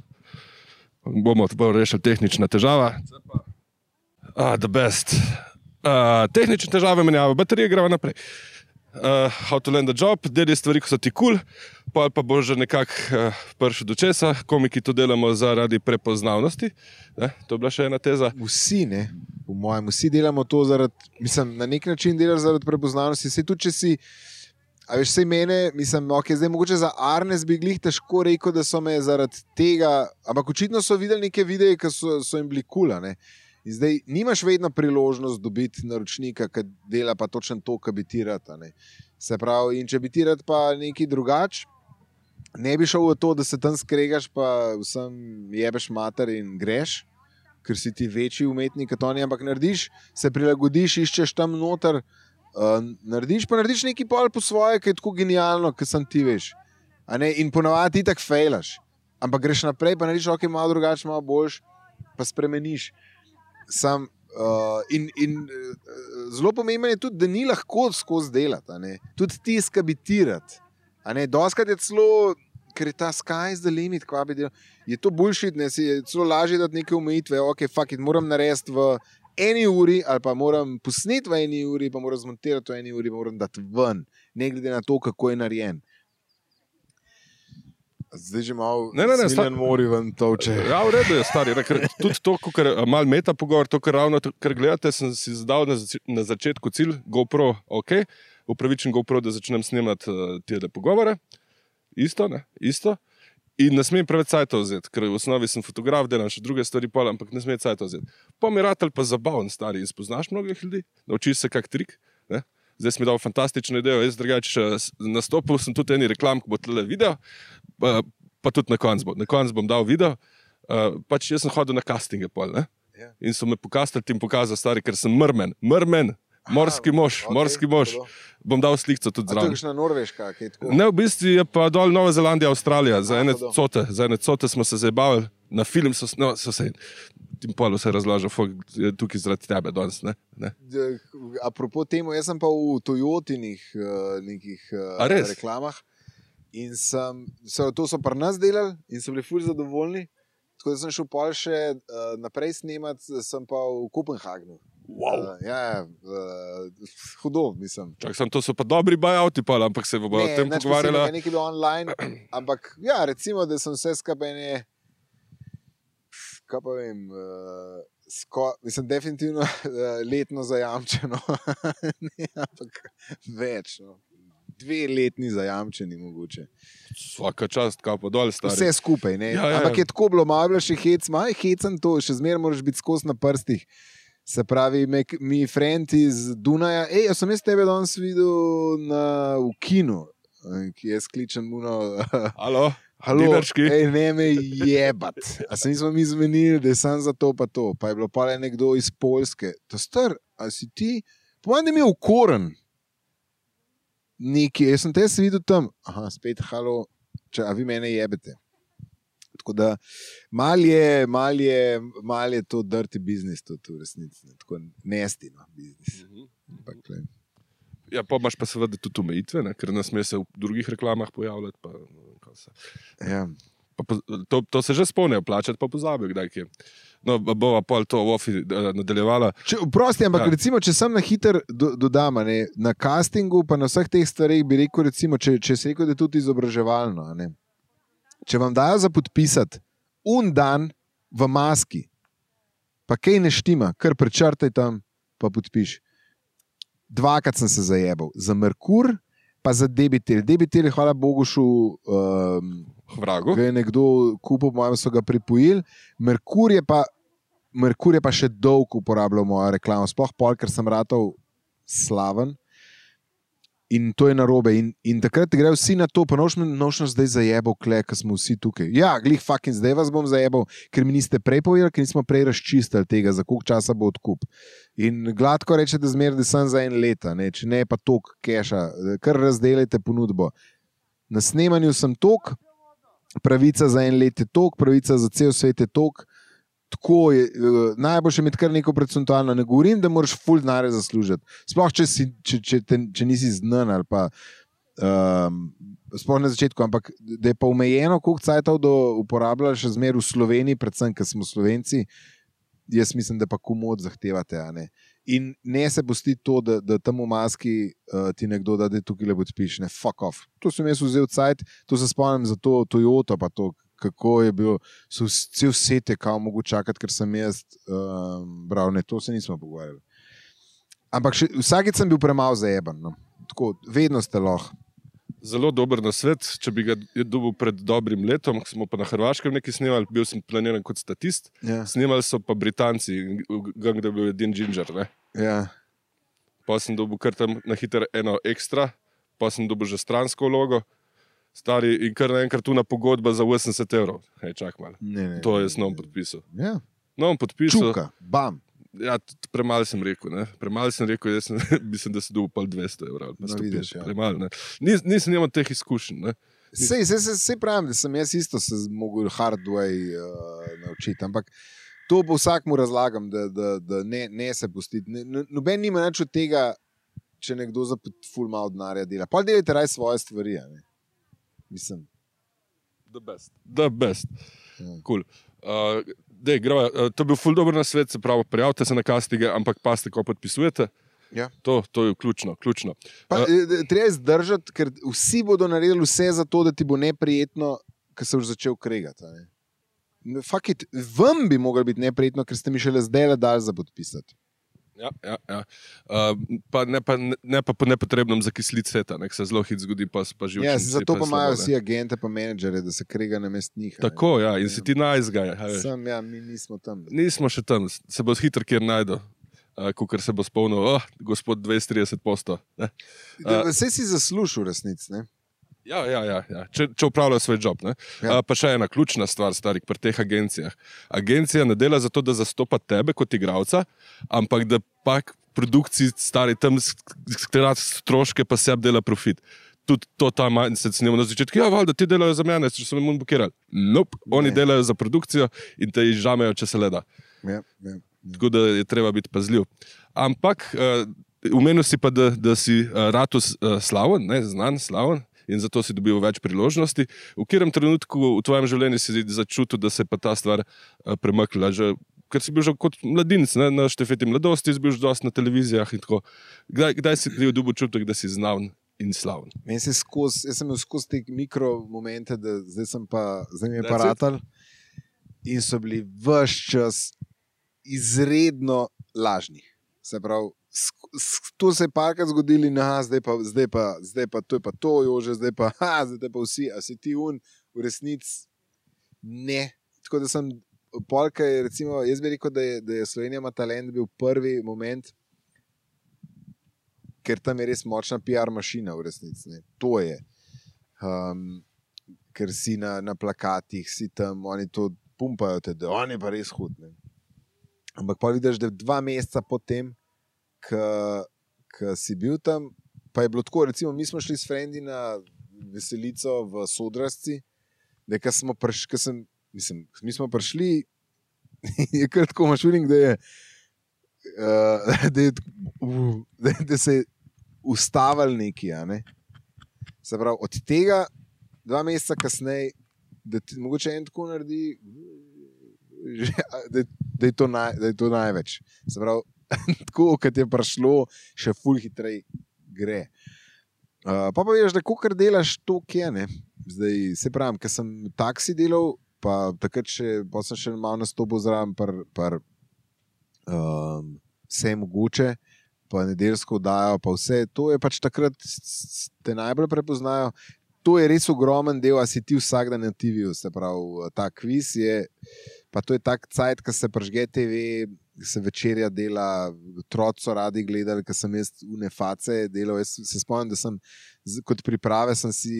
bomo rešili tehnična težava. Ah, the best. Uh, tehnične težave menjava, baterije greva naprej. Uh, how to land a job, deli stvari, ko so ti kul, cool, pa, pa bo že nekako uh, prišel do česa. Komiki to delamo zaradi prepoznavnosti. Ne? To je bila še ena teza. Vsi, ne, v mojem, vsi delamo to zaradi, mislim, na nek način delaš zaradi prepoznavnosti. Sej tudi, če si, a veš, sej mene, mislim, ok, zdaj mogoče za Arnes bi glih težko rekel, da so me zaradi tega, ampak očitno so videli neke videe, ki so, so jim bili kula, ne. In zdaj nimaš vedno priložnost dobiti naročnika, ki dela pa točno to, kar bi ti rad. Se pravi, in če bi ti rad pa nekaj drugač, ne bi šel v to, da se tam skregaš, pa vsem jebeš mater in greš, ker si ti večji umetnik kot oni, ampak narediš, se prilagodiš, iščeš tam noter, uh, narediš pa narediš nekaj pol po svoje, ki je tako genialno, ki sem ti veš. A ne? In ponavadi ti tak fejlaš, ampak greš naprej, pa narediš ok, malo drugače, malo boljš, pa spremeniš. Sam, uh, in in uh, zelo pomembno je tudi, da ni lahko skozi delati, tudi ti skabitirati. Doskrat je celo, ker je ta sky is the limit, kva bi delal, je to bullshit, ne, si je celo lažje dati neke omejitve, ok, fuck it, moram narediti v eni uri, ali pa moram posneti v eni uri, pa moram zmontirati v eni uri, pa moram dati ven, ne glede na to, kako je narejen. Zdaj že malo smiljen mori ven toče. Ja, v redu je, stari. Tudi to, kar malo meta pogovor, to, kar ravno, kar gledate, sem si zadal na, zač na začetku cilj, GoPro, ok, upravičen GoPro, da začnem snemati uh, tele pogovore. Isto, ne, isto. In ne smem preveč cajta vzeti, ker v osnovi sem fotograf, delam še druge stvari pol, ampak ne smem cajta vzeti. Pa mi ratelj pa zabavn, stari, in spoznaš mnogih ljudi, naučiš se kak trik, ne. Zdaj si mi dal fantastično idejo, jaz drugače nastopil sem tudi eni reklam, ko bo tle video, pa, pa tudi na koncu bom, na koncu bom dal video, uh, pač jaz sem hodil na castinge pol, ne, yeah. In so me pokastali in pokazal, stari, ker sem mrmen, mrmen, morski mož, okay, morski mož, bom dal slikco tudi zraven. A to je kakšna Norveška, kaj tako? Ne, v bistvu je pa dol Nova Zelandija, Avstralija, za ene cote, za ene cote smo se zabavili, na film so, no, so se... Tim polu se razlaža, je tukaj zaradi tebe danes, ne? ne? Apropo temu, jaz sem pa v Toyotinih uh, nekih uh, reklamah in sem, so, to so pri nas delali in so bili ful zadovoljni, tako da sem šel pol še uh, naprej snemati, sem pa v Kopenhagnu. Wow. Uh, ja, uh, hudo, mislim. Čak sem, to so pa dobri buyouti pol, ampak se bo o tem pogovarjala. Ne, nekaj bilo online, ampak ja, recimo, da sem vse skupaj ne... Kaj pa vem, uh, sko, mislim, definitivno uh, letno zajamčeno, ne, ampak več, no. Dve letni zajamčeni mogoče. Svaka čast, kaj pa dol, stari. Vse skupaj, ne, ja, ja, ampak ja. Je tako bilo, malo bilo še hec, malo je hecen to, še zmeraj moraš biti skozi na prstih. Se pravi, me, mi friend iz Dunaja, ej, jaz sem jaz tebe danes videl na, v kinu, ki jaz kličem uno... Halo? Halo, ej, ne me jebat. A se nismo mi zmenili, da je sam za to pa to. Pa je bilo pa le nekdo iz Poljske. To star, a si ti? Povem, da mi je ukoren. Neki, jaz sem te se videl tam. Aha, spet, halo, če, a vi mene jebete. Tako da, mal je, mal je, mal je to dirty business, to v resnici. Tako nestino business. Ampak, le. Ja, pa imaš pa seveda tudi omejitve, ne? Ker nas sme se v drugih reklamah pojavljati. Pa, se. Ja. Pa, to, to se že spomnijo plačati, pa pozabijo, kdaj kje. No, bova pol to v ofi nadaljevala. Če, prosti, ampak ja. Recimo, če sem na hiter do, dodam, ne, na castingu, pa na vseh teh stvareh bi rekel, recimo, če, če se rekel, da je tudi izobraževalno. Ne? Če vam dajo za podpisati un dan v maski, pa kaj ne štima, kar prečrtaj tam, pa podpiš. dvakrat sem se zajebal. Za Merkur, pa za Debitel. Debitel je, hvala Bogu, šel um, vragu. Ga je nekdo kupil, mojem so ga pripojili. Merkur je pa, Merkur je pa še dolg uporabljal mojo reklamo. Sploh pol, ker sem ratal slaven. In to je narobe. In, in takrat grejo vsi na to, pa nočno zdaj zajebal, kle, ker smo vsi tukaj. Ja, glih fucking zdaj vas bom zajebal, ker mi niste prej povedali, ker nismo prej razčistili tega, za koliko časa bo odkup. In gladko reče, da zmeraj, da sem za en leta, ne? Če ne pa tok keša, kar razdelite ponudbo. Na snemanju sem tok, pravica za en let je tok, pravica za cel svet je tok. Tako je, najboljše imeti kar neko procentualno. Ne govorim, da moraš ful denarja zaslužiti. Sploh, če, si, če, če, te, če nisi znan ali pa um, sploh na začetku, ampak da je pa omejeno, koliko cajtov do uporabljaš še zmer v Sloveniji, predvsem, ker smo Slovenci, jaz mislim, da pa komod zahtevate. A ne? In ne se pusti to, da, da tam v maski uh, ti nekdo da, da tukaj le podpiš. Ne, fuck off. To sem jaz vzel cajt, to se spomnim za to Toyota, pa to kako je bil, so vse vsete, kao mogo čakati, ker sem jaz um, bral, ne, to se nismo pogovarjali. Ampak še, vsakič sem bil premalo zajeban, no. Tako, vedno ste lahko. Zelo dober nasvet, če bi ga dobil pred dobrim letom, smo pa na Hrvaškem nekaj snimali, bil sem planiran kot statist, ja. Snimali so pa Britanci, gang, da je bil edin Ginger, ne. Ja. Pa sem dobil kar tam na hiter eno ekstra, pa sem dobil že stransko vlogo, stari in kar naenkrat tuna pogodba za osemdeset evrov. Hej, čak malo. Ne, ne, to je s novom podpisal. Ja. Novom podpisal. Čuka, bam. Ja, premalo sem rekel, ne. Premalo sem rekel, jaz sem, mislim, da si dobil pol dvesto evrov. No, vidiš, ja. Premalo, ne. Nis, nisem imel teh izkušenj, ne. Sej, sej, sej, sej pravim, da sem jaz isto se mogel hard way uh, naučiti, ampak to po vsakmu razlagam, da, da, da ne, ne se pustiti. Ne, noben nima nič od tega, če nekdo za ful malo denarja dela. Pa delajte raj svoje stvari, ne. Mislim. The best. The best. Ja. Cool. Uh, dej, grava, uh, to je bil ful dober nasvet, se pravi, prijavite se na castinge, ampak paste, ko podpisujete. Ja. To, to je ključno. ključno. Pa, uh, treba je zdržati, ker vsi bodo naredili vse za to, da ti bo neprijetno, ker se už začel kregati. Fuck it, vam bi moglo biti neprijetno, ker ste mi šele zdaj le dali za podpisati. Ja, ja, ja. Uh, pa ne pa, ne pa po nepotrebnem zakisliti sveta, nek se zelo hit zgodi, pa, pa živčenci. Ja, zato pa imajo vsi agente pa menedžere, da se krega na mest njih. Tako, ja, in ja. Si ti najzgaj. Sem, ja, mi nismo tam. Nismo še tam, se bo hitro kjer najdo, uh, kukor se bo spomnil, oh, gospod dvesto trideset posto. Uh, Vse si zaslužil resnic, ne? Ja, ja, ja, ja. Če, če upravljajo svoj job. Ja. Uh, pa še ena ključna stvar, starik, pri teh agencijah. Agencija ne dela zato, da zastopa tebe kot igralca, ampak da pak produkciji stari tam skrat stroške, pa sebi dela profit. Tudi to ta mindset snima na začetku. Ja, valjda, ti delajo za mene, če so me mun bukirali. Nope, oni ne. Delajo za produkcijo in te izžamejo, če se le da. Ja, ja, ja. Tako da je treba biti pazljiv. Ampak, uh, umenil si pa, da, da si uh, ratu uh, slaven, ne, znan, slaven, in zato si dobil več priložnosti. V katerem trenutku v tvojem življenju si začutil, da se je pa ta stvar uh, premaknila? Že, ker si bil že kot mladinec, ne, na štefeti mladosti, si bil že dosti na televizijah in tako. Kdaj, kdaj si bil dobil čutek, da si znaven in slaven? Meni se skozi, jaz sem imel skozi te mikromomente, da zdaj sem pa, zdaj mi je pa ratal in so bili ves čas izredno lažni. Se pravi, to se je parkrat zgodili, na, zdaj, pa, zdaj, pa, zdaj pa to je pa to, jože, zdaj pa, ha, zdaj pa vsi, a si ti un, v resnici ne. Tako da sem, polka je, recimo, jaz bi rekel, da je, da je Slovenija ima talent bil prvi moment, ker tam je res močna P R mašina v resnici, ne. To je. Um, ker si na, na plakatih, si tam, oni to pumpajo te, da on je pa res hud, ne. Ampak pa vidiš, da dva meseca potem, ki si bil tam, pa je bilo tako, recimo, mi smo šli s frendi na veselico v Sodrasci, da ko smo prišli, ko sem, mislim, mi smo prišli, je kar tako mašuring, da je, uh, da, je uh, da, da se je ustavil neki, a ne. Se pravi, od tega dva meseca kasneje, da ti mogoče en tako naredi, da, da, je to naj, da je to največ. Se pravi, tako, kad je prišlo, še ful hitrej gre. Uh, pa pa veš, da kakor delaš to, kje, ne. Zdaj, se pravim, ker sem taksi delal, pa takrat še, pa sem še malo nastopil zraven par, par um, vse mogoče, pa nedeljsko oddajo, pa vse. To je pač takrat, te najbolj prepoznajo. To je res ogromen del, a si ti vsak dan na T V-ju, se pravi, ta kviz je, pa to je tak cajt, ko se pržge T V, se večerja dela, otroci so radi gledali, ker sem jaz une face delal. Jaz se spomnim, da sem kot priprave sem si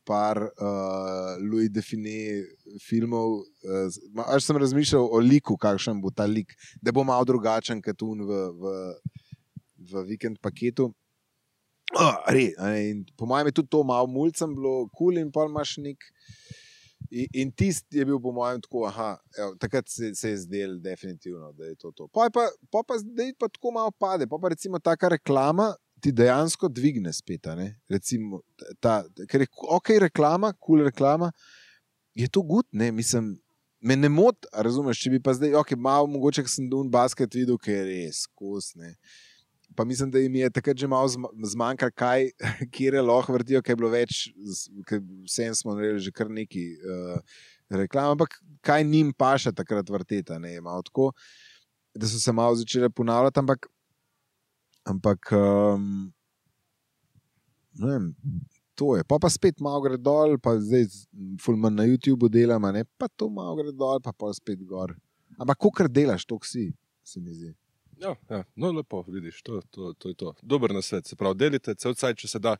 par uh, Louis Define filmov, uh, až sem razmišljal o liku, kakšen bo ta lik, da bo malo drugačen kot un v, v, v vikend paketu. Oh, re, in po mojem je tudi to malo mulcem bilo kul cool in pol imaš nek in, in tist je bil po mojem tako, aha, evo, takrat se, se je zdel definitivno, da je to to. Pa je pa, pa, pa zdaj pa tako malo pade, pa pa recimo taka reklama ti dejansko dvigne spet, ne? Recimo ta, ker je ok reklama, kul cool reklama, je to good, ne, mislim, me ne mot, razumeš, če bi pa zdaj, ok, malo mogoče, ker sem dun basket videl, ker je res kos, ne. Pa mislim, da jim je takrat že malo zmanjkalo, kaj, kjer je lahko vrtijo, kaj je bilo več, vsem smo naredili že kar neki uh, reklam, ampak kaj njim paša takrat vrteta, ne, malo tako, da so se malo začele ponavljati, ampak, ampak um, ne vem, to je, pa pa spet malo gre dol, pa zdaj ful manj na YouTubeu delam, ne, pa to malo gre dol, pa pa spet gor. Ampak kakor delaš, to si, se mi zdi. Ja, ja, no lepo, vidiš, to, to, to je to. Dober nasvet, se pravi, delite cel cajt, če se da.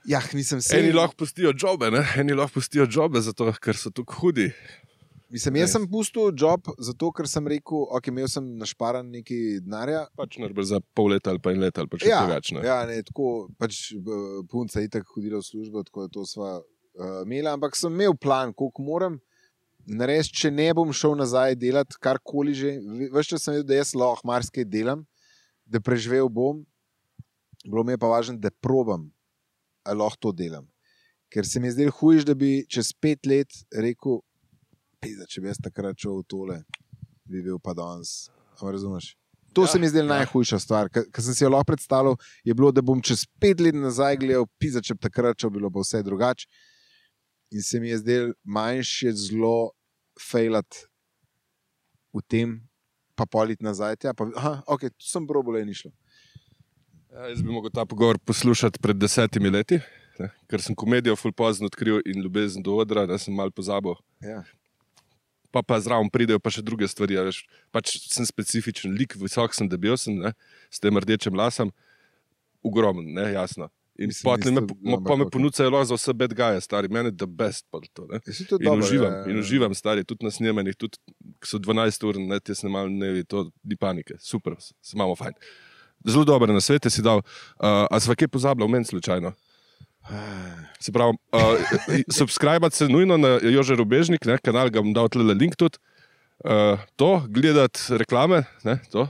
Ja, nisem se... Eni lahko pustijo džobe, ne? Eni lahko pustijo džobe, zato, ker so tukaj hudi. Mislim, jaz sem pustil job, zato, ker sem rekel, ok, imel sem našparan nekaj denarja. Pač najbolj za pol leta ali pa en let, ali pa še ja, več, ne? Ja, ne, tako, pač punca je itak hodila v službo, tako da to sva uh, imela, ampak sem imel plan, koliko moram narediti, če ne bom šel nazaj delati, karkoli že. Veš, če sem vedel, da jaz lahko marsikaj delam, da preživel bom, bilo mi je pa važno, da probam, ali lahko to delam. Ker se mi je zdel hujiš, da bi čez pet let rekel, pizda, če bi jaz takrat šel v tole, bi bil pa danes. Ampak razumeš? To ja, se mi je zdel ja. najhujša stvar. Ker sem si jo lahko predstavljal, je bilo, da bom čez pet let nazaj gledal, pizda, če bi takrat šel, bilo pa vse drugače. In se mi je zdel manjše zelo fejlat v tem, pa polit nazaj. Ja, pa, aha, ok, tu sem probal, je ni šlo. Ja, jaz bi mogel ta pogovor poslušati pred desetimi leti, ne, ker sem komedijo ful pozno odkril in ljubezen do odra, da sem malo pozabil. Ja. Pa pa zraven pridejo pa še druge stvari. Ja, veš, pač sem specifičen lik, visok sem, debel sem, ne, s tem rdečim lasom, ogromen, ne, jasno. In Mislim, me, me, pa me ponucajo lahko za vse bad guye, stari, meni je the best pa to, ne. to in, dobro, uživam, je, je. in uživam, stari, tudi na snemanjih, tudi ko so dvanajst ur, ne, te snemali dnevi, to ni panike, super, se imamo fajn. Zelo dobre nasvete si dal, uh, a sva kaj pozabila v meni slučajno? Se pravi, uh, subscribati se nujno na Jože Rubežnik, ne, kanal, ga bom dal tlele link tudi, uh, to, gledati reklame, ne, to.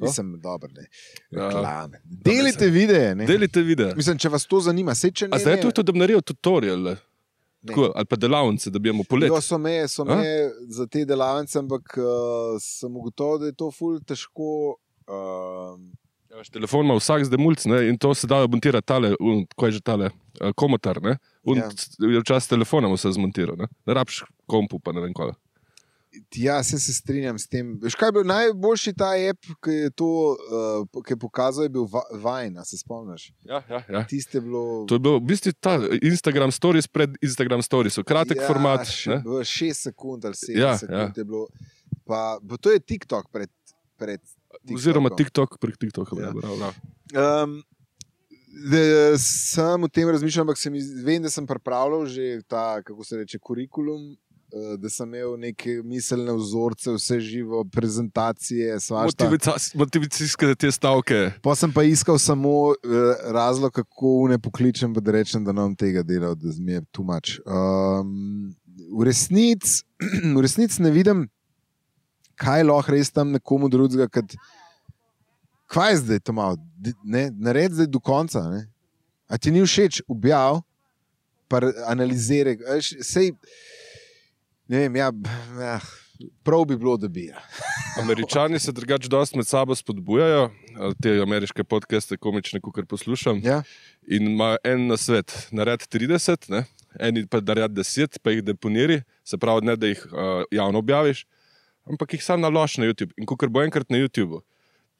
Nisem dober, ne. Reklame. Uh, Delite videe, ne. Delite videe. Mislim, če vas to zanima, se če ne... A zdaj je to, da bi naredil tutorial, tako, ali pa delavnice, da bi imel polet. Jo, so me, so me za te delavnice, ampak uh, sem ugotovil, da je to ful težko... Uh, ja, telefon ima vsak zdaj mulc, ne, in to se da montirati tale, un, ko je že tale, uh, komotar, ne. Un, ja. Včas telefonom se zmontiral, ne. Ne rabiš kompu, pa ne vem koga. Ja, se, se strinjam s tem. Veš, kaj je bil najboljši ta app, ki je to, uh, ki je pokazal, je bil Vine, se spomniš? Ja, ja, ja. Tiste je bilo... To je bil v bistvu ta Instagram stories pred Instagram storiesu, kratek ja, format. Ja, šest sekund ali sedem ja, sekund ja. je bilo. Pa, to je TikTok pred, pred TikTokom. Oziroma TikTok prek TikToka. Ja. Um, da, sem v tem razmišljal, ampak sem, vem, da sem pripravljal že ta, kako se reče, kurikulum, da sem imel neke miselne vzorce, vse živo, prezentacije, svašta. Motivacijske te stavke. Pa sem pa iskal samo uh, razlog, kako ne pokličem, da rečem, da nam tega delal, da mi je too much. Um, v resnici v resnic ne vidim, kaj lahko res tam nekomu drugega, kad, kaj je zdaj to malo, ne, nared zdaj do konca, ne? A ti ni všeč, objav, pa analiziraj, sej, ne vem, ja, ja, prav bi bilo, da bi. Ja. Američani se drugače dosti med sabo spodbujajo, te ameriške podcaste komične, kukor poslušam, ja. In ima en nasvet, nared trideset, ne? Eni pa nared deset, pa jih deponiri, se pravi, ne, da jih uh, javno objaviš, ampak jih sam nalož na YouTube. In kukor bo enkrat na YouTubeu,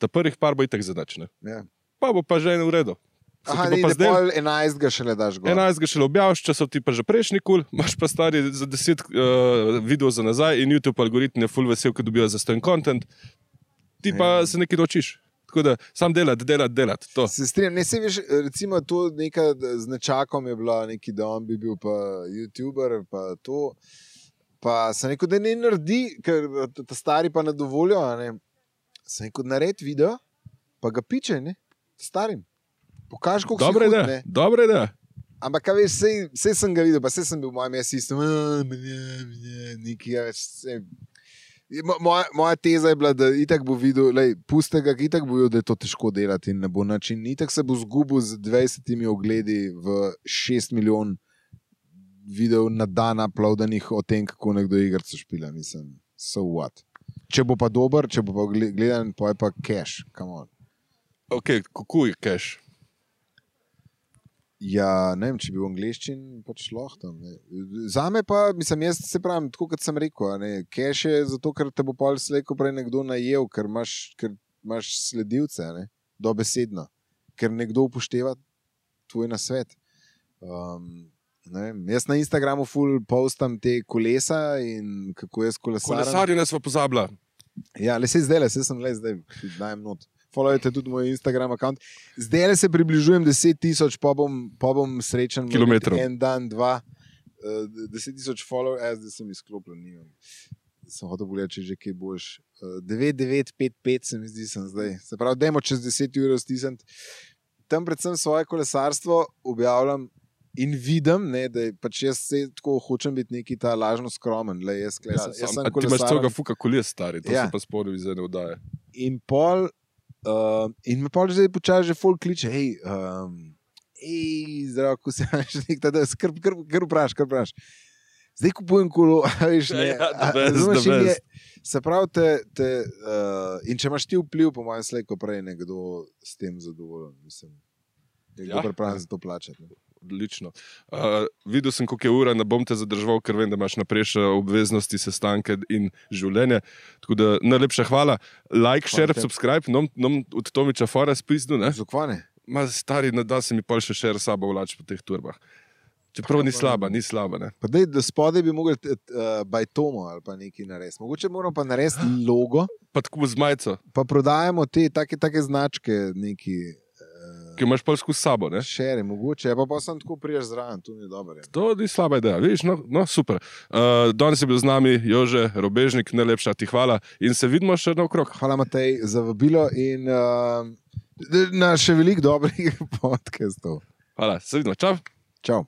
ta prvih par bo itak zadačne. Ja. Pa bo pa že en v redu. Se Aha, ti bo ne, pa da zdel- pol enajstega šele daš gor. enajst ga šele objaviš, če so ti pa že prejšnji kul, imaš pa stari za deset uh, videov za nazaj in YouTube algoritm je full vesel, ko dobijo za stojn content. Ti pa Ja. se nekaj naučiš. Tako da sam delati, delati, delati. To. Se strinjam, ne se veš, recimo tu neka z nečakom je bila neki, da on bi bil pa YouTuber, pa to. Pa sem rekel, da ne naredi, ker ta stari pa ne dovolijo, a ne. Sem rekel, naredi video, pa ga piče, ne, starim. Pokaži, koliko Dobra si hud, ideja, ne. dobra ideja. Ampak, kaj veš, sej, sej sem ga videl, pa sej sem bil v mojem sistemu, neki več. Sej. Mo- Moja, moja teza je bila, da itak bo videl, lej, puste ga, itak bo videl, da je to težko delati in ne bo način. Itak se bo zgubil z dvajsetimi ogledi v šest milijon videov na dan uploadanih o tem, kako nekdo igrico špila. Mislim, so what. Če bo pa dober, če bo pa gle- gledan, pa je pa cash, come on. Ok, kako je cash? Ja, ne vem, če bi v angleščini pač lahko tam. ne. Zame pa, mislim, jaz se pravim, tako kot sem rekel, a ne, cash je zato, ker te bo pol slejko prej nekdo najel, ker imaš, ker imaš sledilce, a ne, dobesedno, ker nekdo upošteva tvoj nasvet. Um, ne vem, jaz na Instagramu ful postam te kolesa in kako jaz kolesarjem. Kolesarje nas pa pozabila. Ja, le se zdaj, le se sem le zdaj, dajem not. Followajte tudi moj Instagram account. Zdaj se približujem deset tisoč, pa bom, pa bom srečen. Kilometrov. En dan, dva, uh, deset tisoč follow, jaz zdaj sem izklopljen, nimam. Sem hotel pogledati, če že kaj boš. Uh, devet devet pet pet se mi zdi, sem zdaj. Se pravi, dajmo čez deset ur stisniti. Tam predvsem svoje kolesarstvo objavljam in vidim, ne, da je pač jaz se tako hočem biti neki ta lažno skromen. Le, jaz, kle, Ja, sem, jaz sam, sem a ti imaš kolesaren. celega fuka koles, stari, to Ja. sem pa spodil iz ene oddaje. In pol, uh, in me pol zdaj počasi že folk kliče, hej, um, hej, zdravo, ko se imaš nek ta, da skrb, kar, kar vpraš, kar vpraš. Zdaj kupujem kolo, a veš, ne. Ja, the a- best, razumeš, the in je- best. Se pravi, te, te, uh, in če imaš ti vpliv, po mojem slejko prej nekdo s tem zadovoljen, mislim. Nekdo Ja. ja. pripravljen za to plačati. Ne. Odlično. Uh, videl sem, koliko je ura, ne bom te zadržal, ker vem, da imaš naprej še obveznosti, sestanke in življenje. Tako da najlepša hvala. Like, Hvala share, tebi. subscribe, nom, nom od Tomiča Fora spizdu, ne? Zakvane? Ma stari, ne da se mi pol še share sabo vlači po teh turbah. Čeprav ni slaba, ni slaba, ne? Pa dej, da spodaj bi mogli uh, bajtomo ali pa nekaj narediti. Mogoče moramo pa narediti logo, Pa tako z majico, pa prodajamo te take, take značke, neki uh, ki imaš pol skozi sabo, ne? šere, mogoče, pa pa sem tako priješ zraven, to ni dobro. je. To ni slaba ideja, vidiš, no, no super. Uh, danes je bil z nami Jože Robežnik, najlepša ti hvala in se vidimo še naokrog. Hvala, Matej, za vabilo in uh, na še veliko dobrih podcastov. Hvala, se vidimo, čau. Čau.